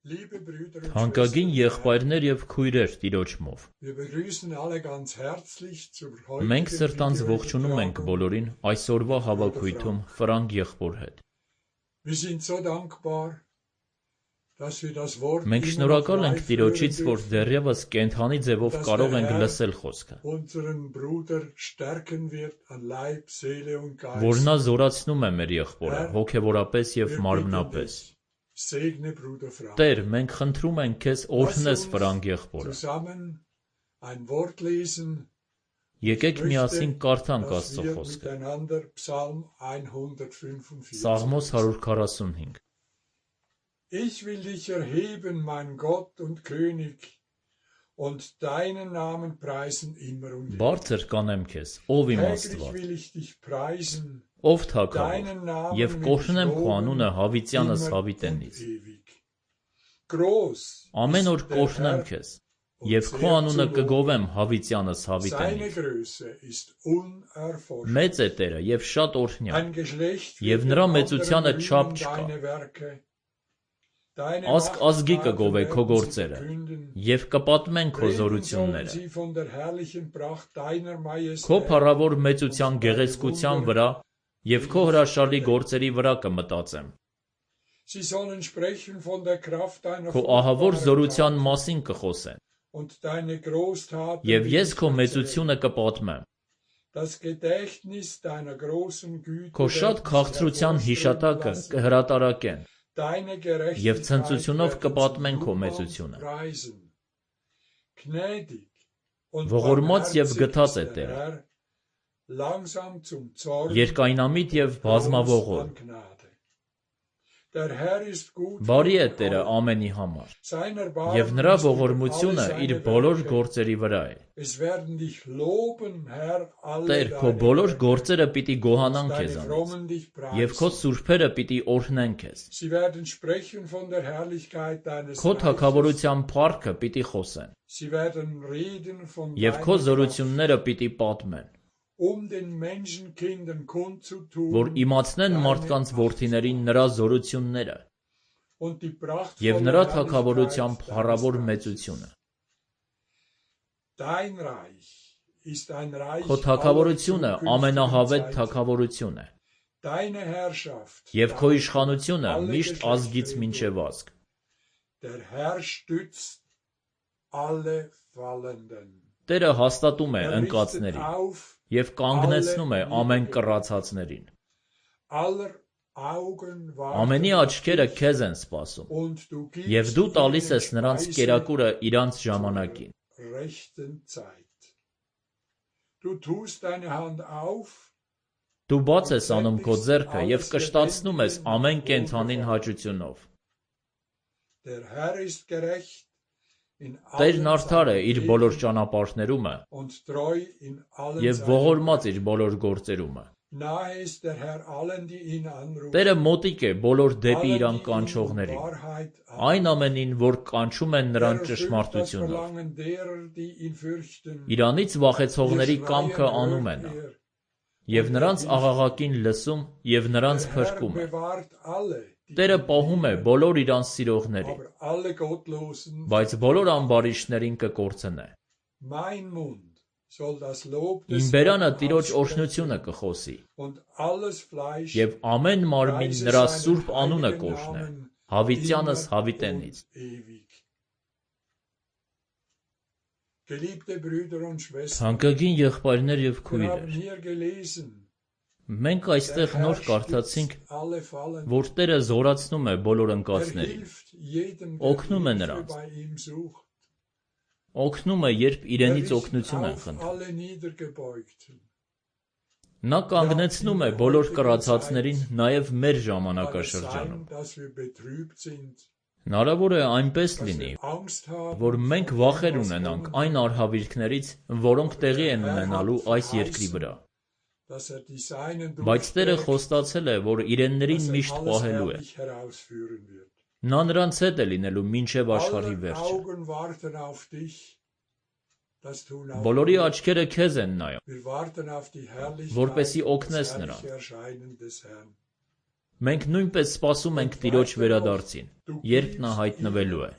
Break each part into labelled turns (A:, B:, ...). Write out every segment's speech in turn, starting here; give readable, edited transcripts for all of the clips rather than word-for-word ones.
A: Թանկագին եղբայրներ և քույրեր Տիրոջմով, մենք սրտանց ողջունում ենք բոլորին այսօրվա հավաքույթում Ֆրանկ եղբոր հետ։ Մենք շնորհակալ ենք Տիրոջից, որ դեռևս կենդանի ձևով կարող ենք լսել խոսքը, որ նա զորացնում է մեր եղբորը հոգևորապես և մարմնապես։ Տեր, մենք խնդրում ենք քեզ օրհնես Ֆրանկ եղբորը։ Եկեք միասին կարդանք Աստծո խոսքը։ Սաղմոս 145
B: Ich will dich erheben, mein Gott und König, und deinen Namen preisen immer und ewig.
A: Բարձր կանեմ քեզ, ով իմ
B: Täglich
A: Աստված,
B: will ich dich preisen,
A: ով թագավոր, և կօրհնեմ քո անունը հավիտյանս հավիտենից։
B: groß
A: Ամեն օր կօրհնեմ քեզ, և քո անունը կգովեմ հավիտյանս
B: seine
A: հավիտենից։
B: Größe ist unerforscht.
A: Մեծ է Տերը և շատ օրհնյալ,
B: Ein Geschlecht
A: և
B: wird
A: նրա
B: dem
A: մեծությանը
B: anderen
A: չափ
B: rühmen
A: չկա։
B: deine Werke. Deine
A: Ազգ ազգի կգովե
B: Machttaten
A: քո
B: werden sie
A: գործերը,
B: verkünden.
A: և կպատմեն քո
B: Reden sollen
A: զորությունները։
B: sie von der herrlichen Pracht deiner
A: Քո
B: Majestät.
A: փառավոր մեծության գեղեցկության վրա և քո հրաշալի գործերի վրա կմտածեմ։
B: Sie sollen sprechen von der Kraft deiner
A: Քո ահավոր
B: furchtbaren
A: զորության
B: Taten
A: մասին կխոսեն,
B: und deine Großtaten
A: և
B: will
A: ես
B: ich
A: քո
B: erzählen.
A: մեծությունը կպատմեմ։
B: Das Gedächtnis deiner großen Güte
A: Քո շատ
B: werden sie
A: քաղցրության
B: hervorströmen
A: հիշատակը
B: lassen.
A: կհրատարակեն,
B: Deine
A: և
B: Gerechtigkeit
A: ցնծությունով
B: werden
A: կպատմեն
B: sie
A: քո
B: jubelnd
A: մեծությունը։
B: preisen. Gnädig und
A: Ողորմած և
B: barmherzig
A: գթած է
B: ist der
A: Տերը,
B: Herr, langsam zum Zorn
A: երկայնամիտ և
B: groß
A: բազմավորղոր։
B: an Gnade. Der Herr ist gut
A: Բարի է
B: gegen
A: Տերը
B: alle.
A: ամենի համար,
B: Sein
A: և
B: Erbarmen
A: նրա
B: ist über
A: ողորմությունը
B: alle
A: իր
B: seine
A: բոլոր
B: Werke.
A: գործերի վրա է։
B: Es werden dich loben, Herr, alle
A: Տեր, քո
B: deine
A: բոլոր
B: Werke,
A: գործերը պիտի
B: und
A: գոհանան
B: deine
A: քեզանից,
B: Frommen dich
A: և քո
B: preisen.
A: սուրբերը պիտի օրհնեն քեզ։
B: Sie werden sprechen von der Herrlichkeit deines
A: Քո
B: Reiches.
A: թագավորության փառքը պիտի խոսեն,
B: Sie werden reden von
A: և քո
B: deiner Kraft,
A: զորությունները պիտի պատմեն,
B: den Menschenkindern kundzutun,
A: որ իմացնեն
B: deine
A: մարդկանց
B: Macht
A: որդիներին նրա զորությունները
B: und die
A: և
B: prachtvolle
A: նրա թագավորության
B: Herrlichkeit
A: փառավոր
B: deines Reiches.
A: մեծությունը։
B: Dein Reich ist ein Reich
A: Քո
B: aller
A: թագավորությունը
B: zukünftigen
A: ամենահավետ
B: Zeiten.
A: թագավորություն է,
B: Deine Herrschaft
A: և քո
B: dauert
A: իշխանությունը
B: alle
A: միշտ ազգից
B: Geschlechter
A: մինչև
B: hindurch.
A: ազգ։
B: Der Herr stützt alle Fallenden.
A: Տերը հաստատում է
B: Er richtet
A: ընկածներին
B: auf
A: և կանգնեցնում է
B: alle
A: ամեն
B: niedergeschlagenen.
A: կռացածներին։
B: Aller Augen
A: Ամենի
B: warten auf
A: աչքերը
B: dich,
A: քեզ են սպասում,
B: und du
A: և
B: gibst
A: դու տալիս
B: ihnen
A: ես նրանց
B: Speise
A: կերակուրը իրանց
B: zur
A: ժամանակին։
B: rechten Zeit. Du tust deine Hand auf
A: Դու բաց
B: und
A: ես անում քո
B: sättigst
A: ձեռքը և
B: alles
A: կշտացնում ես
B: Lebendige
A: ամեն
B: mit
A: կենդանին
B: Wohlgefallen.
A: հաճությունով։
B: Der Herr ist gerecht in
A: Տերն
B: allen
A: արդար է
B: seinen
A: իր բոլոր
B: Wegen
A: ճանապարհներումը
B: und treu in allen
A: և
B: seinen
A: ողորմած իր
B: Werken.
A: բոլոր գործերումը։
B: Nahe ist der Herr allen, die ihn anrufen,
A: Տերը մոտիկ է բոլոր դեպի
B: allen,
A: իրան
B: die ihn in
A: կանչողներին,
B: Wahrheit
A: այն ամենին, որ կանչում են
B: Er
A: նրան
B: erfüllt das
A: ճշմարտությունով։
B: Verlangen derer, die ihn fürchten.
A: Իրանից
B: Ihr
A: վախեցողների
B: Schreien
A: կամքը անում է
B: hört
A: նա,
B: er.
A: և նրանց աղաղակին լսում և նրանց
B: Der Herr
A: փրկում է։
B: bewahrt alle, die
A: Տերը
B: ihn
A: պահում է
B: lieben,
A: բոլոր իրանց սիրողներին,
B: aber alle Gottlosen.
A: բայց բոլոր ամբարիշտներին կկորցնե։
B: Mein Mund soll das Lob
A: Իմ
B: des
A: բերանը
B: Herrn
A: Տիրոջ
B: aussprechen,
A: օրհնությունը կխոսի,
B: und alles Fleisch
A: և ամեն մարմին
B: preise
A: նրա
B: seinen
A: սուրբ անունը
B: heiligen
A: կօրհնե,
B: Namen
A: հավիտյանս
B: immer
A: հավիտենից։
B: und ewig. Geliebte Brüder und Schwestern,
A: Թանկագին եղբայրներ և
B: wir haben
A: քույրեր,
B: hier gelesen,
A: մենք
B: der
A: այստեղ
B: Herr
A: նոր կարդացինք,
B: stützt alle Fallenden.
A: որ Տերը զորացնում է բոլոր
B: Er
A: ընկածներին,
B: hilft jedem,
A: օգնում է
B: der Hilfe
A: նրանց,
B: bei ihm sucht.
A: օգնում է, երբ
B: Er
A: իրենից
B: richtet
A: օգնություն են
B: auf
A: խնդրում։
B: alle Niedergebeugten.
A: Նա կանգնեցնում է բոլոր կռացածներին նաև մեր
B: Kann es
A: ժամանակաշրջանում։
B: sein, dass wir betrübt sind,
A: Հնարավոր է այնպես
B: dass
A: լինի,
B: wir Angst haben,
A: որ մենք
B: vor
A: վախեր
B: dem, was
A: ունենանք
B: kommen
A: այն
B: wird,
A: արհավիրքներից, որոնք տեղի են ունենալու այս երկրի վրա,
B: dass er die Seinen
A: բայց Տերը
B: durchträgt,
A: խոստացել է, որ իրեններին
B: dass er
A: միշտ
B: alles
A: պահելու է։
B: herrlich herausführen wird.
A: Նա նրանց հետ է լինելու մինչև աշխարհի
B: Aller
A: վերջը։
B: Augen warten auf dich, das tun auch
A: Բոլորի
B: wir.
A: աչքերը քեզ են նայում,
B: Wir warten auf die Herrlichkeit
A: որպեսզի
B: und das
A: օգնես
B: herrliche
A: նրան։
B: Erscheinen des Herrn.
A: Մենք նույնպես սպասում ենք Տիրոջ վերադարձին, երբ նա հայտնվելու է։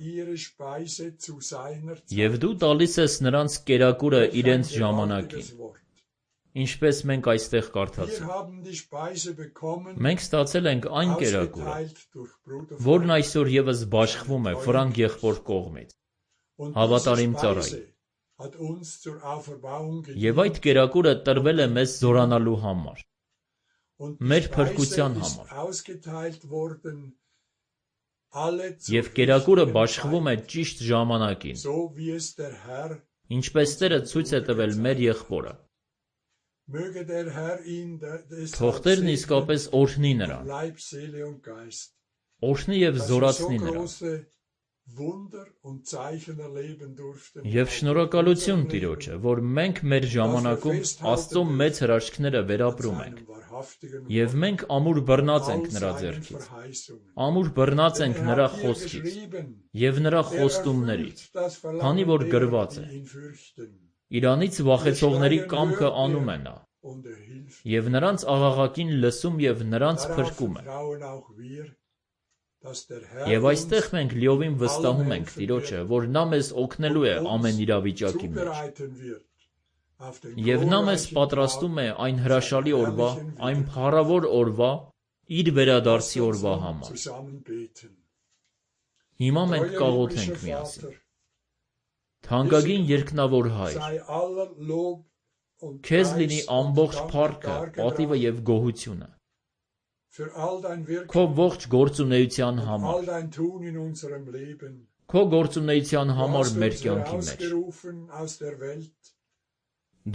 A: Եվ դու տալիս ես նրանց կերակուրը իրենց ժամանակին, ինչպես մենք այստեղ կարդացինք։ Մենք ստացել ենք այն կերակուրը, որն այսօր ևս բաշխվում է Ֆրանկ եղբոր կողմից, հավատարիմ ծառայի։ Եվ այդ կերակուրը տրվել է մեզ զորանալու համար, մեր փրկության համար։ Եվ կերակուրը բաշխվում է ճիշտ ժամանակին, ինչպես Տերը ցույց է տվել մեր եղբորը։ Թող Տերն իսկապես օրհնի նրան, օրհնի և զորացնի նրան։ Եվ շնորհակալություն Տիրոջը, որ մենք մեր ժամանակում Աստծո մեծ հրաշքները վերապրում ենք, և մենք ամուր բռնած ենք նրա ձեռքից, ամուր բռնած ենք նրա խոսքից և նրա խոստումներից, քանի որ գրված է. Իրանից վախեցողների կամքը անում է նա, և նրանց աղաղակին լսում և նրանց փրկում է։ Եվ այստեղ մենք լիովին վստահում ենք Տիրոջը, որ նա մեզ օգնելու է ամեն իրավիճակի մեջ։ Եվ նա մեզ պատրաստում է այն հրաշալի օրվա, այն փառավոր օրվա, իր վերադարձի օրվա համար։ Հիմա մենք կաղոթենք միասին։ Թանկագին երկնավոր Հայր, Քեզ լինի ամբողջ փառքը, պատիվը և գոհությունը Քո ողջ գործունեության համար, Քո գործունեության համար մեր կյանքի մեջ։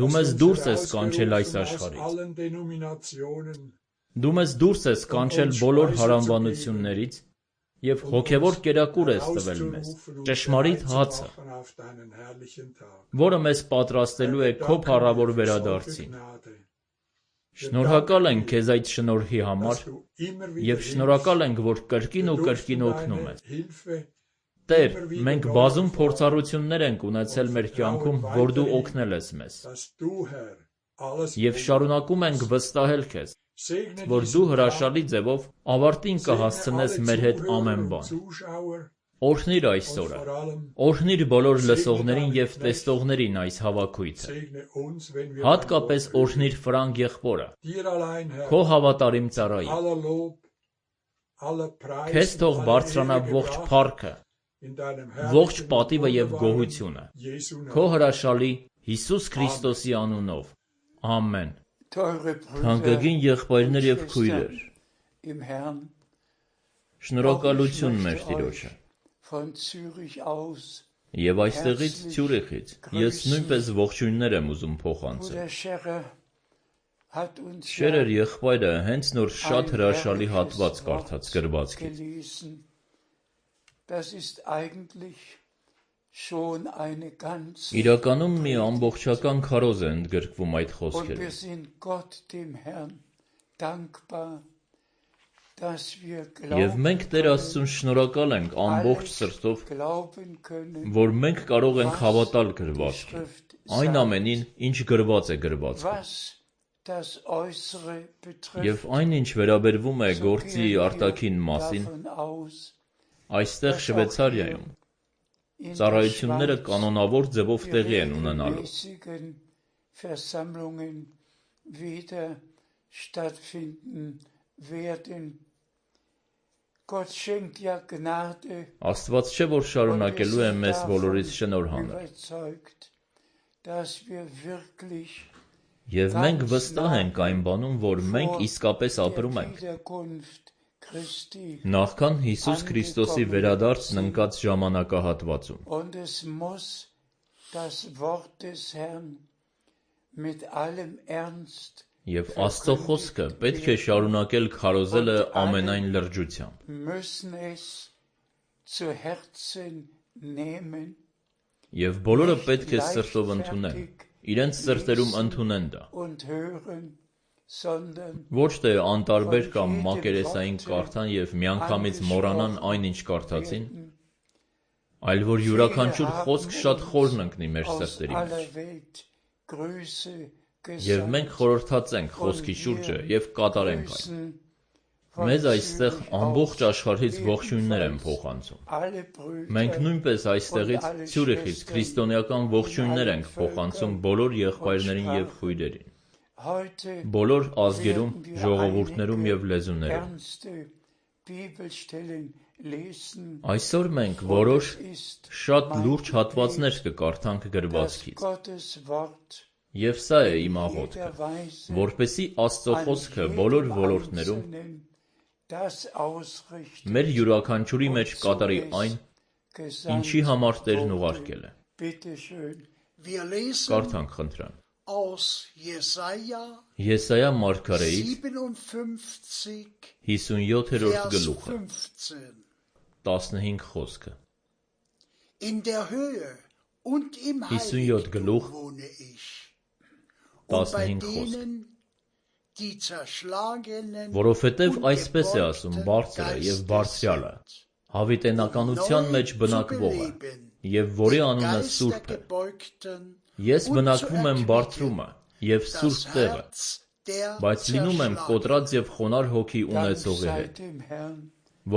A: Դու մեզ դուրս ես կանչել այս աշխարհից, Դու մեզ դուրս ես կանչել բոլոր հարանվանություններից և հոգևոր կերակուր ես տվել մեզ, ճշմարիտ հացը, որը մեզ պատրաստելու է Քո փառավոր վերադարձին։ Շնորհակալ ենք Քեզ այդ շնորհի համար և շնորհակալ ենք, որ կրկին ու կրկին օգնում ես։ Տեր, մենք բազում փորձառություններ ենք ունեցել մեր կյանքում, որ Դու օգնել ես մեզ։ Եվ շարունակում ենք վստահել Քեզ, որ Դու հրաշալի ձևով ավարտին կհասցնես մեր հետ ամեն բան։ Օրհնիր այս օրը, օրհնիր բոլոր լսողներին և տեսնողներին այս հավաքույթը։ Հատկապես օրհնիր Ֆրանկ եղբորը, Քո հավատարիմ ծառային։ Քեզ թող բարձրանա ողջ փառքը, ողջ պատիվը և գոհությունը, Քո հրաշալի Հիսուս Քրիստոսի անունով։ Ամեն։ Թանկագին եղբայրներ և քույրեր, շնորհակալություն մեր Տիրոջը։ Եվ այստեղից Ցյուրիխից ես նույնպես ողջույններ եմ ուզում փոխանցել։ Շերեր եղբայրը հենց նոր շատ հրաշալի հատված կարդաց գրվածքից։ Իրականում մի ամբողջական քարոզ է ընդգրկվում այդ խոսքերում։ Եվ մենք Տեր Աստծուն շնորհակալ ենք ամբողջ սրտով, որ մենք կարող ենք հավատալ գրվածքին, այն ամենին, ինչ գրված է գրվածքում։ Եվ այն, ինչ վերաբերվում է գործի արտաքին մասին, այստեղ Շվեյցարիայում ծառայությունները կանոնավոր ձևով տեղի են ունենալու։ Աստված չէ, որ շարունակելու է մեզ բոլորիս շնորհ անել։ Եվ մենք վստահ ենք այն բանում, որ մենք իսկապես ապրում ենք նախքան Հիսուս Քրիստոսի վերադարձն ընկած ժամանակահատվածում։ Եվ Աստծո խոսքը պետք է շարունակել քարոզելը ամենայն լրջությամբ։ Եվ բոլորը պետք է սրտով ընդունեն, իրենց սրտերում ընդունեն դա։ Ոչ թե անտարբեր կամ մակերեսային կարդան և միանգամից մոռանան այն, ինչ կարդացին, այլ որ յուրաքանչյուր խոսք շատ խորն ընկնի մեր սրտերի մեջ։ Եվ մենք խորհրդածենք խոսքի շուրջը և կատարենք այն։ Մեզ այստեղ ամբողջ աշխարհից ողջույններ են փոխանցում։ Մենք նույնպես այստեղից Ցյուրիխից քրիստոնեական ողջույններ ենք փոխանցում բոլոր եղբայրներին եւ քույրերին, բոլոր ազգերում, ժողովուրդներում եւ լեզուներում։ Այսօր մենք որոշ շատ լուրջ հատվածներ կկարդանք գրվածքից։ Եվ սա է իմ աղոթքը, որպեսզի Աստծո խոսքը բոլոր ոլորտներում մեր յուրաքանչյուրի մեջ կատարի այն, ինչի համար Տերն ուղարկել է։ Կարդանք խնդրան։ Եսայա մարգարեից 57-րդ գլուխը 15 խոսքը 57 գլուխ 15 խոսք Որովհետև այսպես է ասում Բարձրը և Բարձրյալը, հավիտենականության մեջ բնակվողը, և որի անունը Սուրբ է։ Ես բնակվում եմ Բարձրումը և Սուրբ տեղը, բայց լինում եմ կոտրած և խոնարհ հոգի ունեցողի հետ,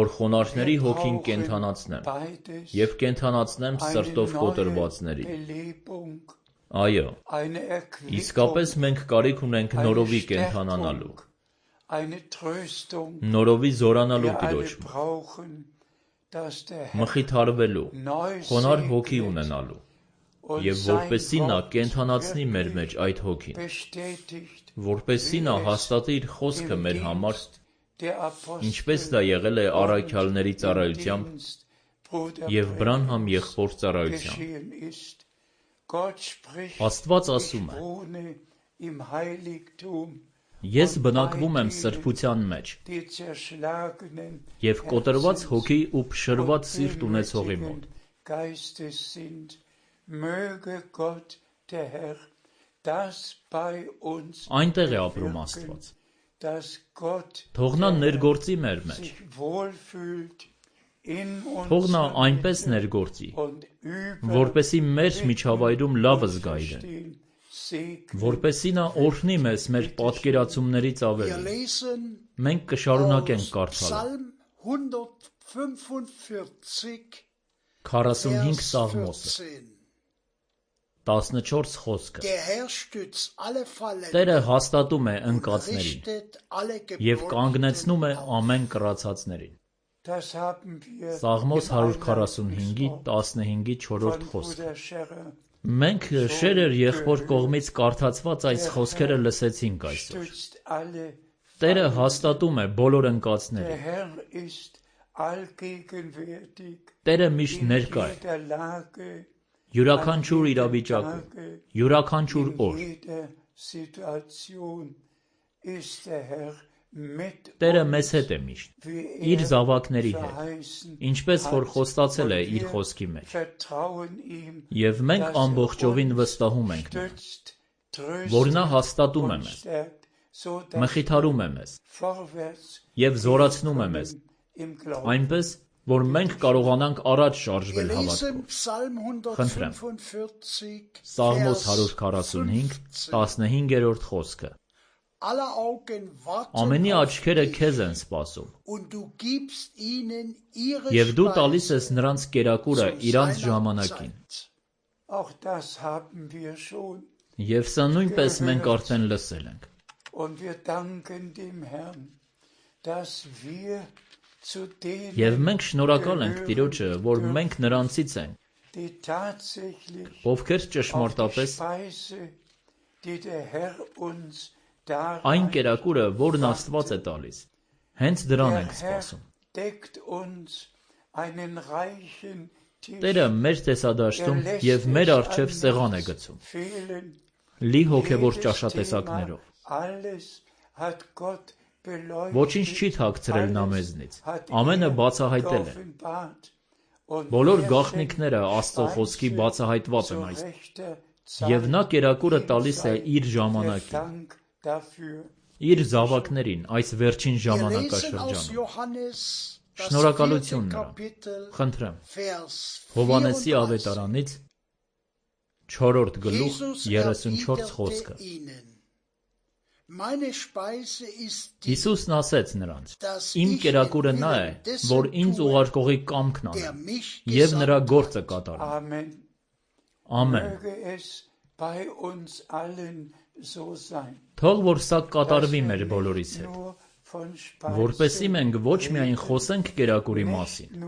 A: որ խոնարհների հոգին կենդանացնեմ և կենդանացնեմ սրտով կոտրվածներին։ Այո, իսկապես մենք կարիք ունենք նորովի կենդանանալու, նորովի զորանալու Տիրոջ մոտ, մխիթարվելու, խոնարհ հոգի ունենալու, և որպեսզի նա կենդանացնի մեր մեջ այդ հոգին, որպեսզի նա հաստատի իր խոսքը մեր համար, ինչպես դա եղել է առաքյալների ծառայությամբ և Բրանհամ եղբոր ծառայությամբ։ Աստված ասում է. Ես բնակվում եմ սրբության մեջ և կոտրված հոգի ու փշրված սիրտ ունեցողի մոտ։ Այնտեղ է ապրում Աստված։ Թող նա ներգործի մեր մեջ։ Թող նա այնպես ներգործի, որպեսզի մեր միջավայրում լավը զգա իրեն, որպեսզի նա օրհնի մեզ մեր պատկերացումներից ավելի։ Մենք կշարունակենք կարդալը։ 45 Սաղմոսը 14 խոսքը Տերը հաստատում է ընկածներին և կանգնեցնում է ամեն կռացածներին։ Սաղմոս 145-ի 15-ի 4-րդ խոսքը Մենք Շերեր եղբոր կողմից կարդացված այս խոսքերը լսեցինք այսօր։ Տերը հաստատում է բոլոր ընկածներին։ Տերը միշտ ներկա է։ Յուրաքանչյուր իրավիճակում, յուրաքանչյուր օր։ Տերը մեզ հետ է միշտ, իր զավակների հետ, ինչպես որ խոստացել է իր խոսքի մեջ։ Եվ մենք ամբողջովին վստահում ենք նրան, որ նա հաստատում է մեզ, մխիթարում է մեզ և զորացնում է մեզ, այնպես, որ մենք կարողանանք առաջ շարժվել հավատքով։ Խնդրեմ, Սաղմոս 145, 15-րդ խոսքը Ամենի աչքերը քեզ են սպասում, և դու տալիս ես նրանց կերակուրը իրանց ժամանակին։ Եվ սա նույնպես մենք արդեն լսել ենք։ Եվ մենք շնորհակալ ենք Տիրոջը, որ մենք նրանցից ենք, ովքեր ճշմարտապես այն կերակուրը, որն Աստված է տալիս, հենց դրան ենք սպասում։ Տերը մեր տեսադաշտում և մեր առջև սեղան է գցում, լի հոգևոր ճաշատեսակներով։ Ոչինչ չի թաքցրել նա մեզնից, ամենը բացահայտել է։ Բոլոր գաղտնիքները Աստծո խոսքի բացահայտված են այստեղ, և նա կերակուրը տալիս է իր ժամանակին, իր զավակներին այս վերջին ժամանակաշրջանում։ Շնորհակալություն նրան։ Խնդրեմ, Հովհաննեսի ավետարանից 4-րդ գլուխ 34 խոսքը Հիսուսն ասեց նրանց. Իմ կերակուրը նա է, որ ինձ ուղարկողի կամքն անեմ, և նրա գործը կատարեմ։ Ամեն։ Թող որ սա կատարվի մեր բոլորիս հետ, որպեսզի մենք ոչ միայն խոսենք կերակուրի մասին,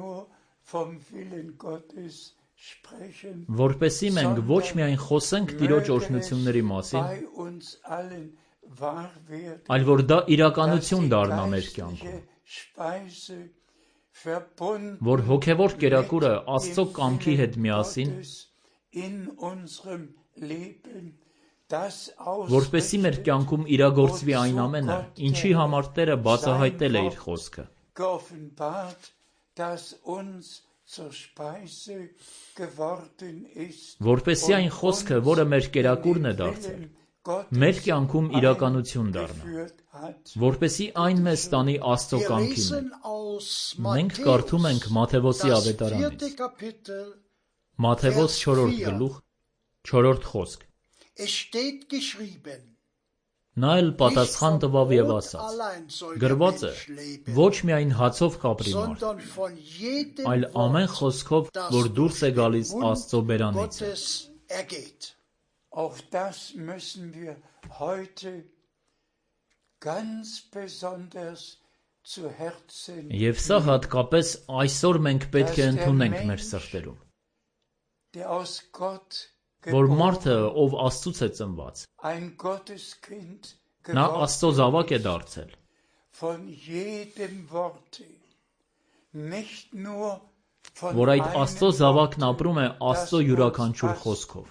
A: որպեսզի մենք ոչ միայն խոսենք Տիրոջ օրհնությունների մասին, այլ որ դա իրականություն դառնա մեր կյանքում, որ հոգևոր կերակուրը Աստծո կամքի հետ միասին, որպեսզի մեր կյանքում իրագործվի այն ամենը, ինչի համար Տերը բացահայտել է իր խոսքը, որպեսզի այն խոսքը, որը մեր կերակուրն է դարձել, մեր կյանքում իրականություն դառնա, որպեսզի այն մեզ տանի Աստծո կամքի մեջ։ Մենք կարդում ենք Մատթեոսի ավետարանից, Մատթեոս 4-րդ գլուխ, 4-րդ խոսք։ Նա էլ պատասխան տվավ և ասաց. գրված է, ոչ միայն հացով կապրի մարդ, այլ ամեն խոսքով, որ դուրս է գալիս Աստծո բերանից է։
C: Auch das müssen wir heute ganz besonders zu Herzen nehmen.
A: Եվ սա հատկապես այսօր մենք պետք է ընդունենք մեր սրտերում, որ մարդը, ով Աստծուց է ծնված, նա Աստծո զավակ է դարձել, որ այդ Աստծո զավակն ապրում է Աստծո յուրաքանչյուր խոսքով,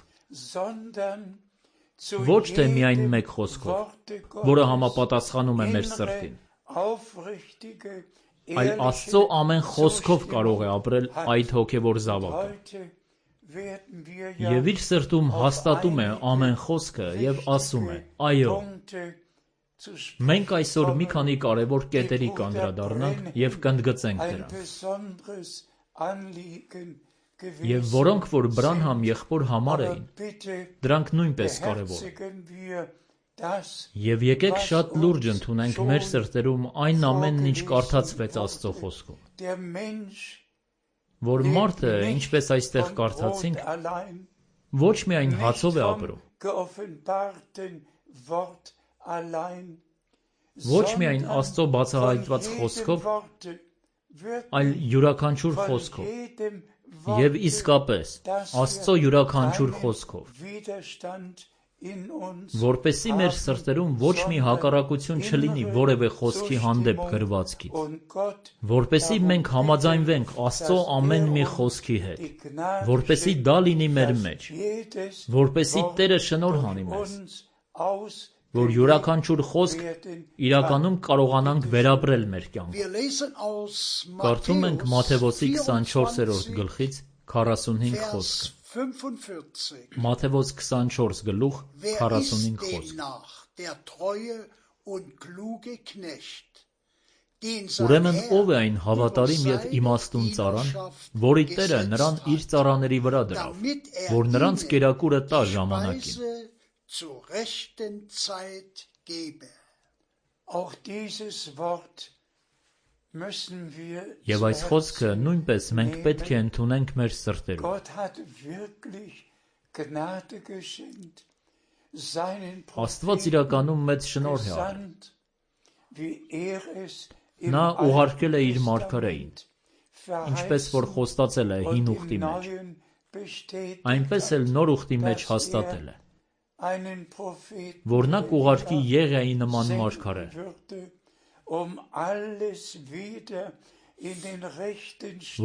A: ոչ թե միայն մեկ խոսքով, որը համապատասխանում է մեր սրտին, այլ Աստծո ամեն խոսքով կարող է ապրել այդ հոգևոր զավակը։ Եվ իր սրտում հաստատում է ամեն խոսքը և ասում է. այո, մենք այսօր մի քանի կարևոր կետերի կանդրադառնանք և կընդգծենք դրանք, և որոնք որ Բրանհամ եղբոր համար էին, դրանք նույնպես կարևոր են։ Եվ եկեք շատ լուրջ ընդունենք մեր սրտերում այն ամենն, ինչ կարդացվեց Աստծո խոսքում, որ մարդը, ինչպես այստեղ կարդացինք, ոչ միայն հացով է ապրում, ոչ միայն Աստծո բացահայտված խոսքով, այլ յուրաքանչյուր խոսքով, և իսկապես Աստծո յուրաքանչյուր խոսքով, որպեսզի մեր սրտերում ոչ մի հակառակություն չլինի որևէ խոսքի հանդեպ գրվածքից, որպեսզի մենք համաձայնվենք Աստծո ամեն մի խոսքի հետ, որպեսզի դա լինի մեր մեջ, որպեսզի Տերը շնորհ անի մեզ, որ յուրաքանչյուր խոսք իրականում կարողանանք վերապրել մեր կյանքում։ Կարդում ենք Մատթեոսի 24-րդ գլխից 45 խոսքը։ Մատթեոս 24 գլուխ 45 խոսք։ Ուրեմն ով է այն հավատարիմ և իմաստուն ծառան, որի Տերը նրան իր ծառաների վրա դրավ, որ նրանց կերակուրը տա ժամանակին։ Եվ այս խոսքը նույնպես մենք պետք է ընդունենք մեր սրտերում։ Աստված իրականում մեծ շնորհ է արել։ Նա ուղարկել է իր մարգարեին, ինչպես որ խոստացել է հին ուխտի մեջ, այնպես էլ նոր ուխտի մեջ հաստատել է, որ նա կուղարկի Եղիայի նման մարգարե,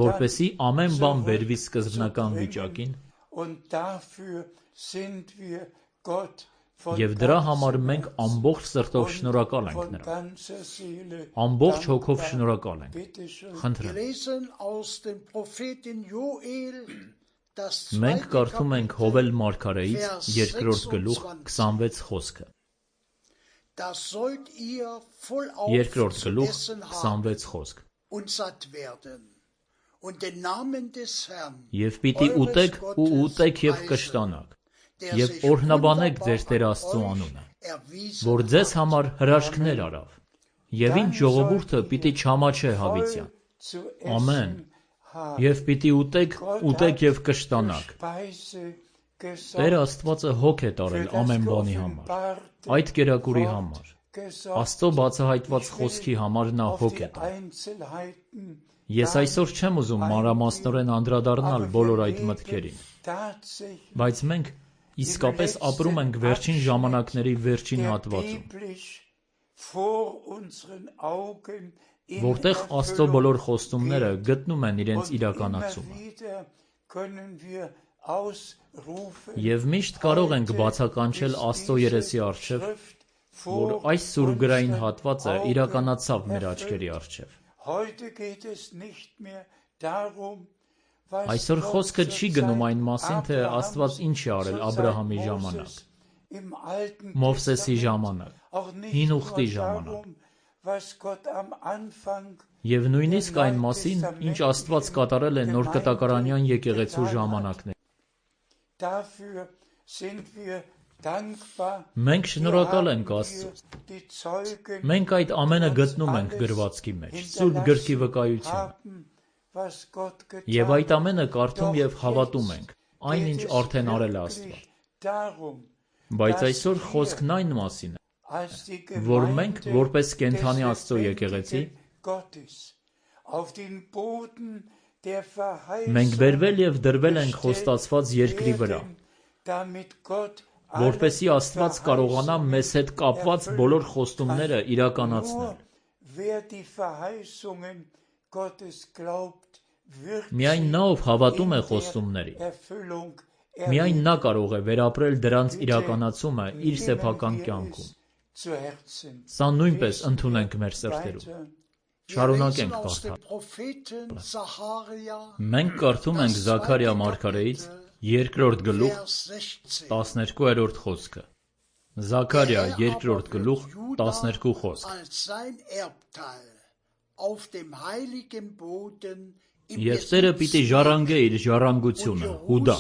A: որպեսզի ամեն բան բերվի սկզբնական վիճակին, և դրա համար մենք ամբողջ սրտով շնորհակալ ենք նրան, ամբողջ հոգով շնորհակալ ենք։ Խնդրեմ։ Մենք կարդում ենք Հովել մարգարեից 2-րդ գլուխ 26 խոսքը։ 2-րդ գլուխ 26 խոսք։ Եվ պիտի ուտեք ու ուտեք և կշտանաք, և օրհնաբանեք ձեր Տեր Աստծու անունը, որ ձեզ համար հրաշքներ արավ, եւ ինչ ժողովուրդը պիտի չամաչե հավիտյան։ Ամեն։ Եվ պիտի ուտեք եւ կշտանաք։ Տեր Աստվածը հոգ է տարել ամեն բանի համար, այդ կերակուրի համար, Աստծո բացահայտված խոսքի համար նա հոգ է տալել։ Ես այսօր չեմ ուզում մանրամասնորեն անդրադառնալ բոլոր այդ մտքերին, բայց մենք իսկապես ապրում ենք վերջին ժամանակների վերջին հատվածում, որտեղ Աստծո բոլոր խոստումները գտնում են իրենց իրականացումը։ Եվ միշտ կարող ենք բացականչել Աստծո երեսի առջև, որ այս սուրբգրային հատվածը իրականացավ մեր աչքերի առջև։ Այսօր խոսքը չի գնում այն մասին, թե Աստված ինչ է արել Աբրահամի ժամանակ, Մովսեսի ժամանակ, Հին Ուխտի ժամանակ, եւ նույնիսկ այն մասին, ինչ Աստված կատարել է նոր կտակարանյան եկեղեցու ժամանակներ։ Մենք շնորհակալ ենք Աստծուն։ Մենք այդ ամենը գտնում ենք գրվածքի մեջ, Սուրբ գրքի վկայությունը։ Եվ այդ ամենը կարդում եւ հավատում ենք, այնինչ արդեն արել է Աստված։ Բայց այսօր խոսքն այն մասին է, որ մենք որպես կենդանի Աստծո եկեղեցի մենք բերվել եւ դրվել ենք խոստացված երկրի վրա, որպեսզի Աստված կարողանա մեզ հետ կապված բոլոր խոստումները իրականացնել։ Միայն նա, ով հավատում է խոստումներին, միայն նա կարող է վերապրել դրանց իրականացումը իր սեփական կյանքում։ Սա նույնպես ընդունենք մեր սրտերում։ Շարունակենք կարդալ։ Մենք կարդում ենք Զաքարիա մարգարեից 2-րդ գլուխ 12-րդ խոսքը։ Զաքարիա 2-րդ գլուխ 12 խոսք։ Եվ Տերը պիտի ժառանգե իր ժառանգությունը Հուդա,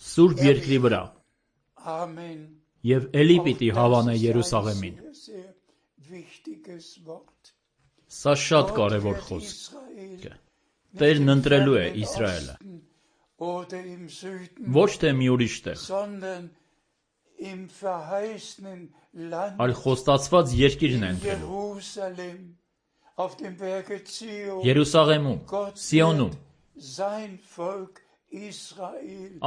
A: Սուրբ երկրի վրա, եւ էլի պիտի հավանե Երուսաղեմին։ Սա շատ կարևոր խոսք է։ Տերն ընտրելու է Իսրայելը, ոչ թե մի ուրիշ տեղ, այլ խոստացված երկիրն է ընտրելու։ Երուսաղեմում, Սիոնում,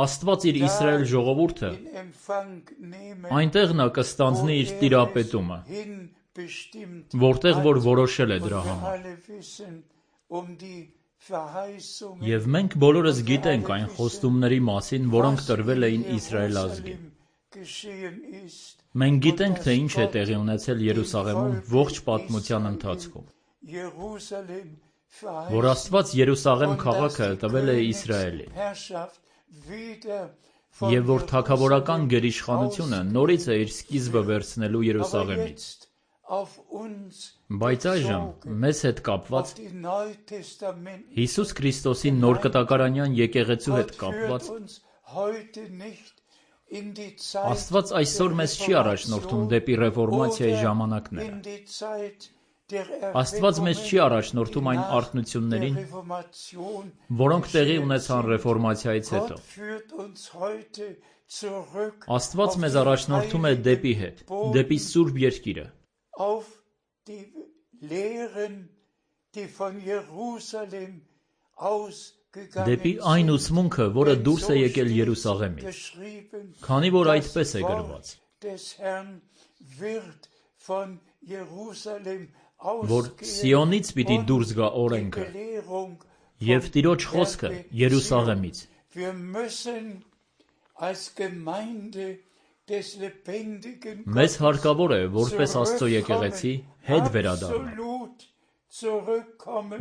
A: Աստված իր Իսրայել ժողովուրդը, այնտեղ նա կստանձնի իր տիրապետումը, որտեղ որ որոշել է դրա համար։ Եվ մենք բոլորս գիտենք այն խոստումների մասին, որոնք տրվել էին Իսրայել ազգին։ Մենք գիտենք, թե ինչ է տեղի ունեցել Երուսաղեմում ողջ պատմության ընթացքում, որ Աստված Երուսաղեմ քաղաքը տվել է Իսրայելին, եւ որ թագավորական գերիշխանությունը նորից է իր սկիզբը վերցնելու Երուսաղեմից։ Բայց այժմ մեզ հետ կապված, Հիսուս Քրիստոսի նոր կտակարանյան եկեղեցու հետ կապված, Աստված այսօր մեզ չի առաջնորդում դեպի ռեֆորմացիայի ժամանակները։ Աստված մեզ չի առաջնորդում այն արթնություններին, որոնք տեղի ունեցան ռեֆորմացիայից հետո։ Աստված մեզ առաջնորդում է դեպի հետ, դեպի Սուրբ երկիրը։ Դեպի այն ուսմունքը, որը դուրս է եկել Երուսաղեմից, քանի որ այդպես է գրված, որ Սիոնից պիտի դուրս գա օրենքը եւ Տիրոջ խոսքը Երուսաղեմից։ Մեզ հարկավոր է, որպես Աստծո եկեղեցի, հետ վերադառնալ,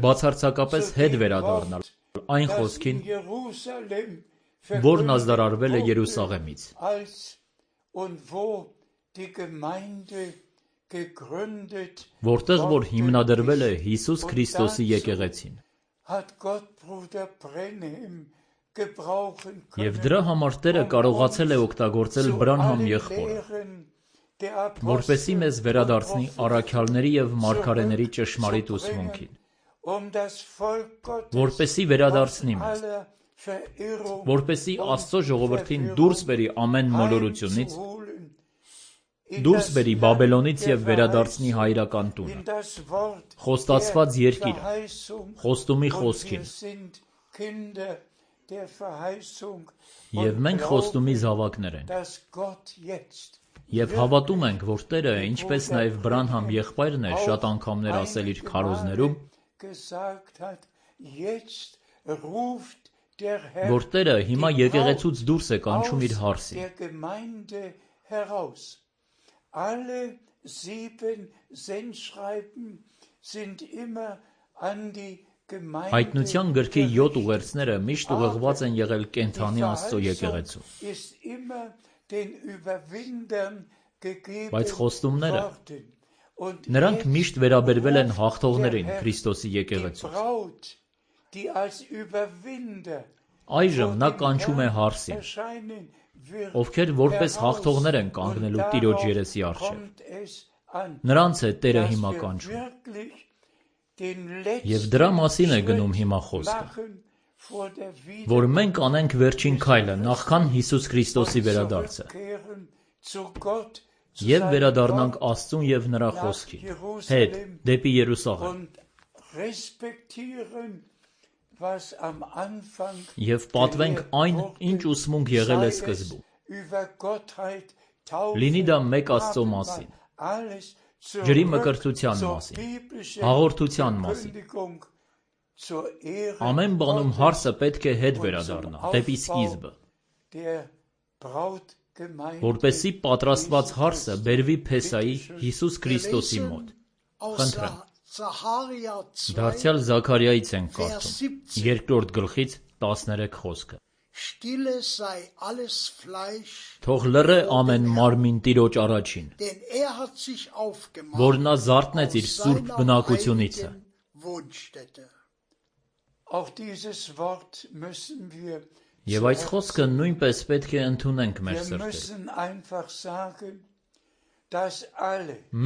A: բացարձակապես հետ վերադառնալ այն խոսքին, որն ազդարարվել է Երուսաղեմից, որտեղ որ հիմնադրվել է Հիսուս Քրիստոսի եկեղեցին։ Եվ դրա համար Տերը կարողացել է օգտագործել Բրանհամ եղբորը, որպեսզի մեզ վերադարձնի առաքյալների և մարգարեների ճշմարիտ ուսմունքին, որպեսզի վերադարձնի մեզ, որպեսզի Աստծո ժողովրդին դուրս բերի ամեն մոլորությունից, դուրս բերի Բաբելոնից և վերադարձնի հայրական տունը, խոստացված երկիրը, խոստումի խոսքին, և մենք խոստումի զավակներ ենք, և հավատում ենք, որ Տերը, ինչպես նաև Բրանհամ եղբայրն է շատ անգամներ ասել իր քարոզներում, որ Տերը հիմա եկեղեցուց դուրս է կանչում իր հարսին, Հայտնության գրքի 7 ուղերձները միշտ ուղղված են եղել կենդանի Աստծո եկեղեցուն, բայց խոստումները, նրանք միշտ վերաբերվել են հաղթողներին Քրիստոսի եկեղեցուց։ Այժմ նա կանչում է հարսին, ովքեր որպես հաղթողներ են կանգնելու Տիրոջ երեսի առջև։ Նրանց է Տերը հիմա կանչում։ Եվ դրա մասին է գնում հիմա խոսքը, որ մենք անենք վերջին քայլը նախքան Հիսուս Քրիստոսի վերադարձը և վերադառնանք Աստծուն և նրա խոսքին, հետ դեպի Երուսաղեմ և պատվենք այն, ինչ ուսմունք եղել է սկզբում, լինի դա մեկ Աստծո մասին, ջրի մկրտության մասին, հաղորդության մասին, ամեն բանում հարսը պետք է հետ վերադառնա, դեպի սկիզբը, որպեսզի պատրաստված հարսը բերվի Փեսայի Հիսուս Քրիստոսի մոտ։ Խնդրեմ, դարձյալ Զաքարիայից ենք կարդում, 2-րդ գլխից 13 խոսքը։ Թող լռե ամեն մարմին Տիրոջ առաջին, որ նա զարթնեց իր սուրբ բնակությունիցը։ Եվ այս խոսքը նույնպես պետք է ընդունենք մեր սրտերում։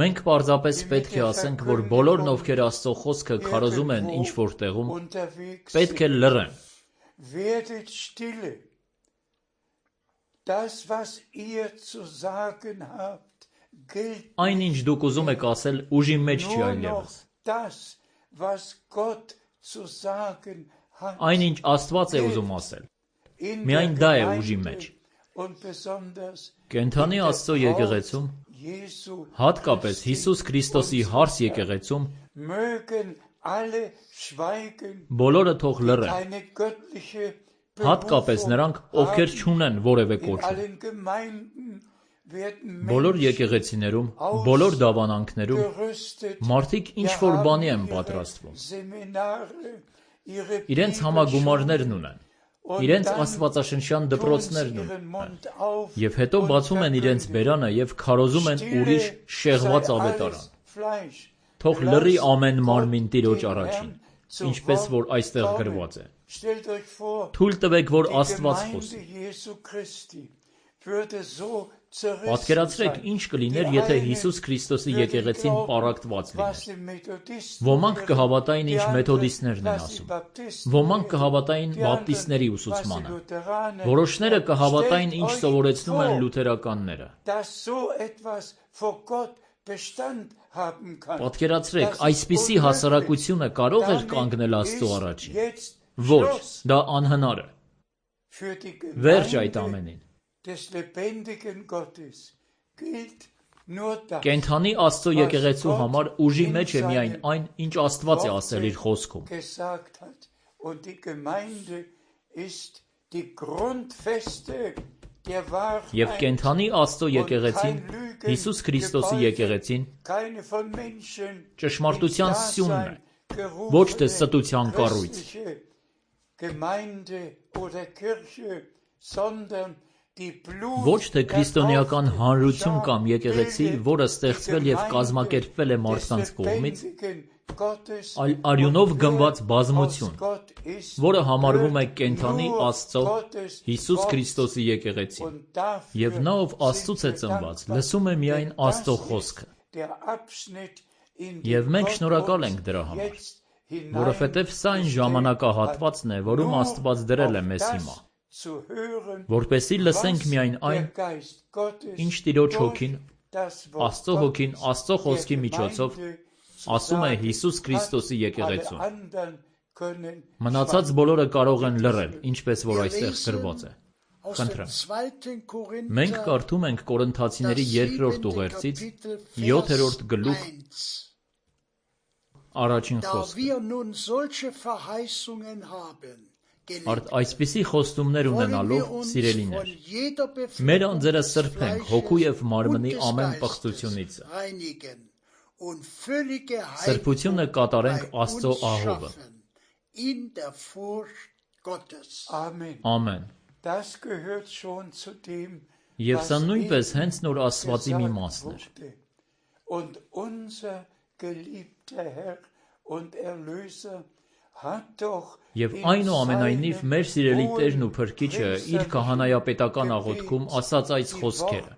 A: Մենք պարզապես պետք է ասենք, որ բոլորն, ովքեր Աստծո խոսքը քարոզում են ինչ-որ տեղում, պետք է լռեն։
C: Werdet stille. Das, was ihr zu sagen habt, gilt
A: Այն, ինչ դուք ուզում եք ասել, ուժի մեջ չի այլևս։
C: das, was Gott zu sagen hat.
A: Այն, ինչ Աստված է ուզում ասել, միայն դա է ուժի մեջ։ Կենդանի Աստծո եկեղեցում, հատկապես Հիսուս Քրիստոսի հարս եկեղեցում, բոլորը թող լռեն, հատկապես նրանք, ովքեր չունեն որևէ կոչում։ Բոլոր եկեղեցիներում, բոլոր դավանանքներում մարդիկ ինչ-որ բանի են պատրաստվում։ Իրենց համագումարներն ունեն, իրենց աստվածաշնչյան դպրոցներն ունեն, և հետո բացում են իրենց բերանը և քարոզում են ուրիշ շեղված ավետարան։ Թող լռի ամեն մարմին Տիրոջ առաջին, ինչպես որ այստեղ գրված է։ Թույլ տվեք, որ Աստված խոսի։ Պատկերացրեք, ինչ կլիներ, եթե Հիսուս Քրիստոսի եկեղեցին պառակտված լիներ։ Ոմանք կհավատային, ինչ մեթոդիստներն են ասում, ոմանք կհավատային բապտիստների ուսուցմանը, որոշները կհավատային, ինչ սովորեցնում են լութերականները։ Պատկերացրեք, այսպիսի հասարակությունը կարող էր կանգնել Աստծո առաջին։ Ոչ, դա անհնար է։ Վերջ այդ ամենին։ Կենդանի Աստծո եկեղեցու համար ուժի մեջ է միայն այն, ինչ Աստված է ասել իր խոսքում։ Եվ կենդանի Աստծո եկեղեցին, Հիսուս Քրիստոսի եկեղեցին, ճշմարտության սյունն է, ոչ թե ստության կառույց։ Ոչ թե քրիստոնեական հանրություն կամ եկեղեցի, որը ստեղծվել և կազմակերպվել է մարդկանց կողմից, այլ արյունով գնված բազմություն, որը համարվում է կենդանի Աստծո Հիսուս Քրիստոսի եկեղեցին, և նա, ով Աստծուց է ծնված, լսում է միայն Աստծո խոսքը։ Եվ մենք շնորհակալ ենք դրա համար, որովհետև սա այն ժամանակահատվածն է, որում Աստված դրել է մեզ հիմա, որպեսզի լսենք միայն այն, ինչ Տիրոջ Հոգին, Աստծո Հոգին, Աստծո խոսքի միջոցով ասում է Հիսուս Քրիստոսի եկեղեցուն։ Մնացած բոլորը կարող են լռել, ինչպես որ այստեղ գրված է։ Խնդրեմ։ Մենք կարդում ենք Կորինթացիների 2-րդ ուղերձից 7-րդ գլուխ առաջին խոսքը։ Արդ այսպիսի խոստումներ ունենալով, սիրելիներ, մեր անձերը սրբենք հոգու և մարմնի ամեն պղծությունից։ Սրբությունը կատարենք Աստծո ահովը։ Ամեն։ Եվ սա նույնպես հենց նոր ասվածի մի մասն էր։ Եվ այնուամենայնիվ մեր սիրելի Տերն ու Փրկիչը իր քահանայապետական աղոթքում ասաց այս խոսքերը.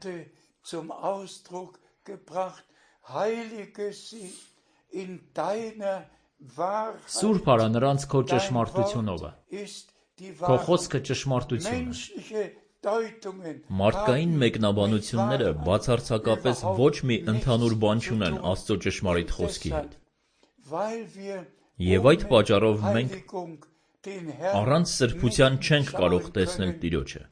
A: Սուրբ արա նրանց քո ճշմարտությունով, քո խոսքը ճշմարտություն է։ Մարդկային մեկնաբանությունները բացարձակապես ոչ մի ընդհանուր բան չունեն Աստծո ճշմարիտ խոսքի հետ։ Եվ այդ պատճառով մենք առանց սրբության չենք կարող տեսնել Տիրոջը։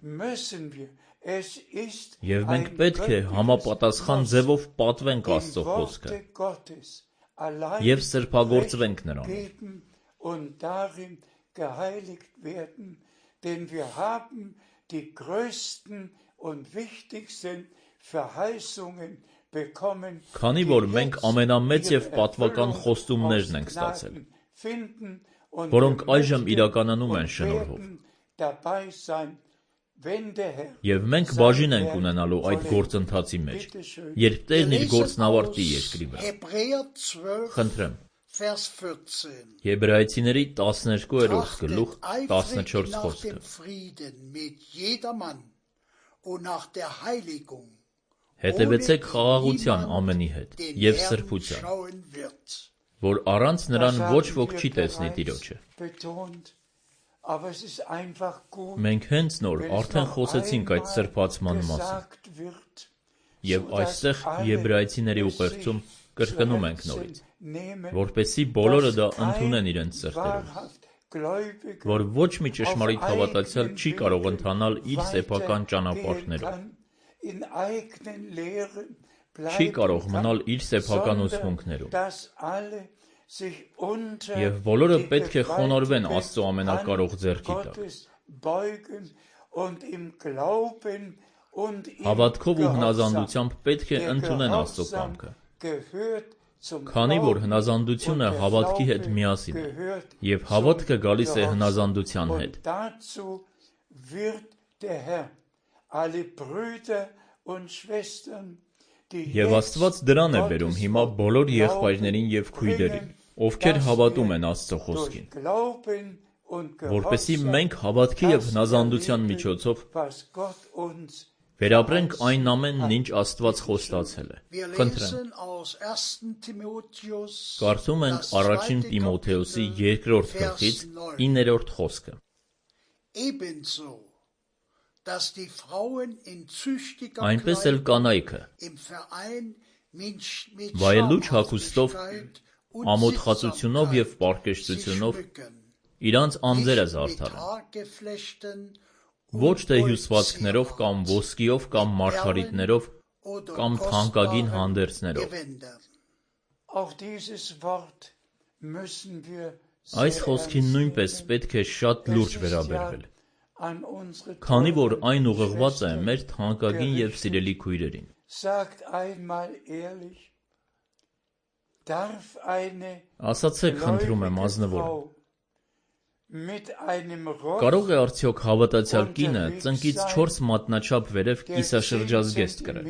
A: Եվ մենք պետք է համապատասխան ձևով պատվենք Աստծո խոսքը և սրբագործվենք նրանով։ Քանի որ մենք ամենամեծ և պատվական խոստումներն ենք ստացել, որոնք այժմ իրականանում են շնորհով։ Եվ մենք բաժին ենք ունենալու այդ գործընթացի մեջ, երբ Տերն իր գործն ավարտի երկրի վրա։ Խնդրեմ։ Եբրայեցիների 12-րդ գլուխ 14 խոսքը։ Հետևեցեք խաղաղության ամենի հետ և սրբության, որ առանց նրան ոչ ոք չի տեսնի Տիրոջը։ Մենք հենց նոր արդեն խոսեցինք այդ սրբացման մասին, և այստեղ Եբրայեցիների ուղերձում կրկնում ենք նորից, որպեսզի բոլորը դա ընդունեն իրենց սրտերում, որ ոչ մի ճշմարիտ հավատացյալ չի կարող ընթանալ իր սեփական ճանապարհներով, չի կարող մնալ իր սեփական ուսմունքներում, և բոլորը պետք է խոնարհվեն Աստծո ամենակարող ձեռքի տակ։ Հավատքով ու հնազանդությամբ պետք է ընդունեն Աստծո կամքը, քանի որ հնազանդությունը հավատքի հետ միասին է, և հավատքը գալիս է հնազանդության հետ։ Եվ Աստված դրան է բերում հիմա բոլոր եղբայրներին և քույրերին, ովքեր հավատում են Աստծո խոսքին, որպեսզի մենք հավատքի և հնազանդության միջոցով վերապրենք այն ամենն, ինչ Աստված խոստացել է։ Խնդրեմ։ Կարդում ենք առաջին Տիմոթեոսի 2-րդ գլխից 9-րդ խոսքը։ Այնպես էլ կանայքը վայելուչ հագուստով, ամոթխածությունով և պարկեշտությունով իրանց անձերը զարդարեն, ոչ թե հյուսվածքներով կամ ոսկիով կամ մարգարիտներով կամ թանկագին հանդերձներով։ Այս խոսքին նույնպես պետք է շատ լուրջ վերաբերվել, քանի որ այն ուղղված է մեր թանկագին և սիրելի քույրերին։ Ասացեք, խնդրում եմ, ազնվորեն, կարող է արդյոք հավատացյալ կինը ծնկից 4 մատնաչափ վերև կիսաշրջազգեստ կրել։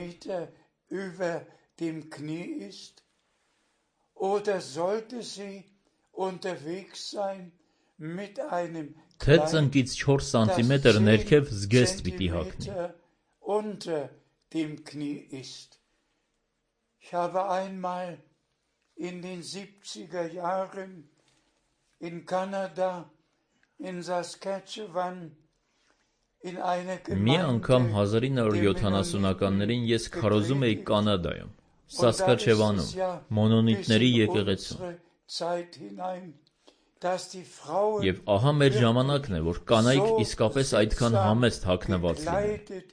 C: oder sollte sie unterwegs sein mit einem
A: Թե ծնկից 4 սանտիմետր ներքև զգեստ պիտի հագնի։
C: unter dem Knie ist. Ich habe einmal in den 70er Jahren in Kanada, in Saskatchewan, in einer
A: Մի անգամ
C: Gemeinde
A: 1970-ականներին ես քարոզում էի Կանադայում, Սասկաչևանում, մոնոնիտների եկեղեցում։ Եվ ահա մեր ժամանակն է, որ կանայք իսկապես այդքան համեստ հագնված լինեն։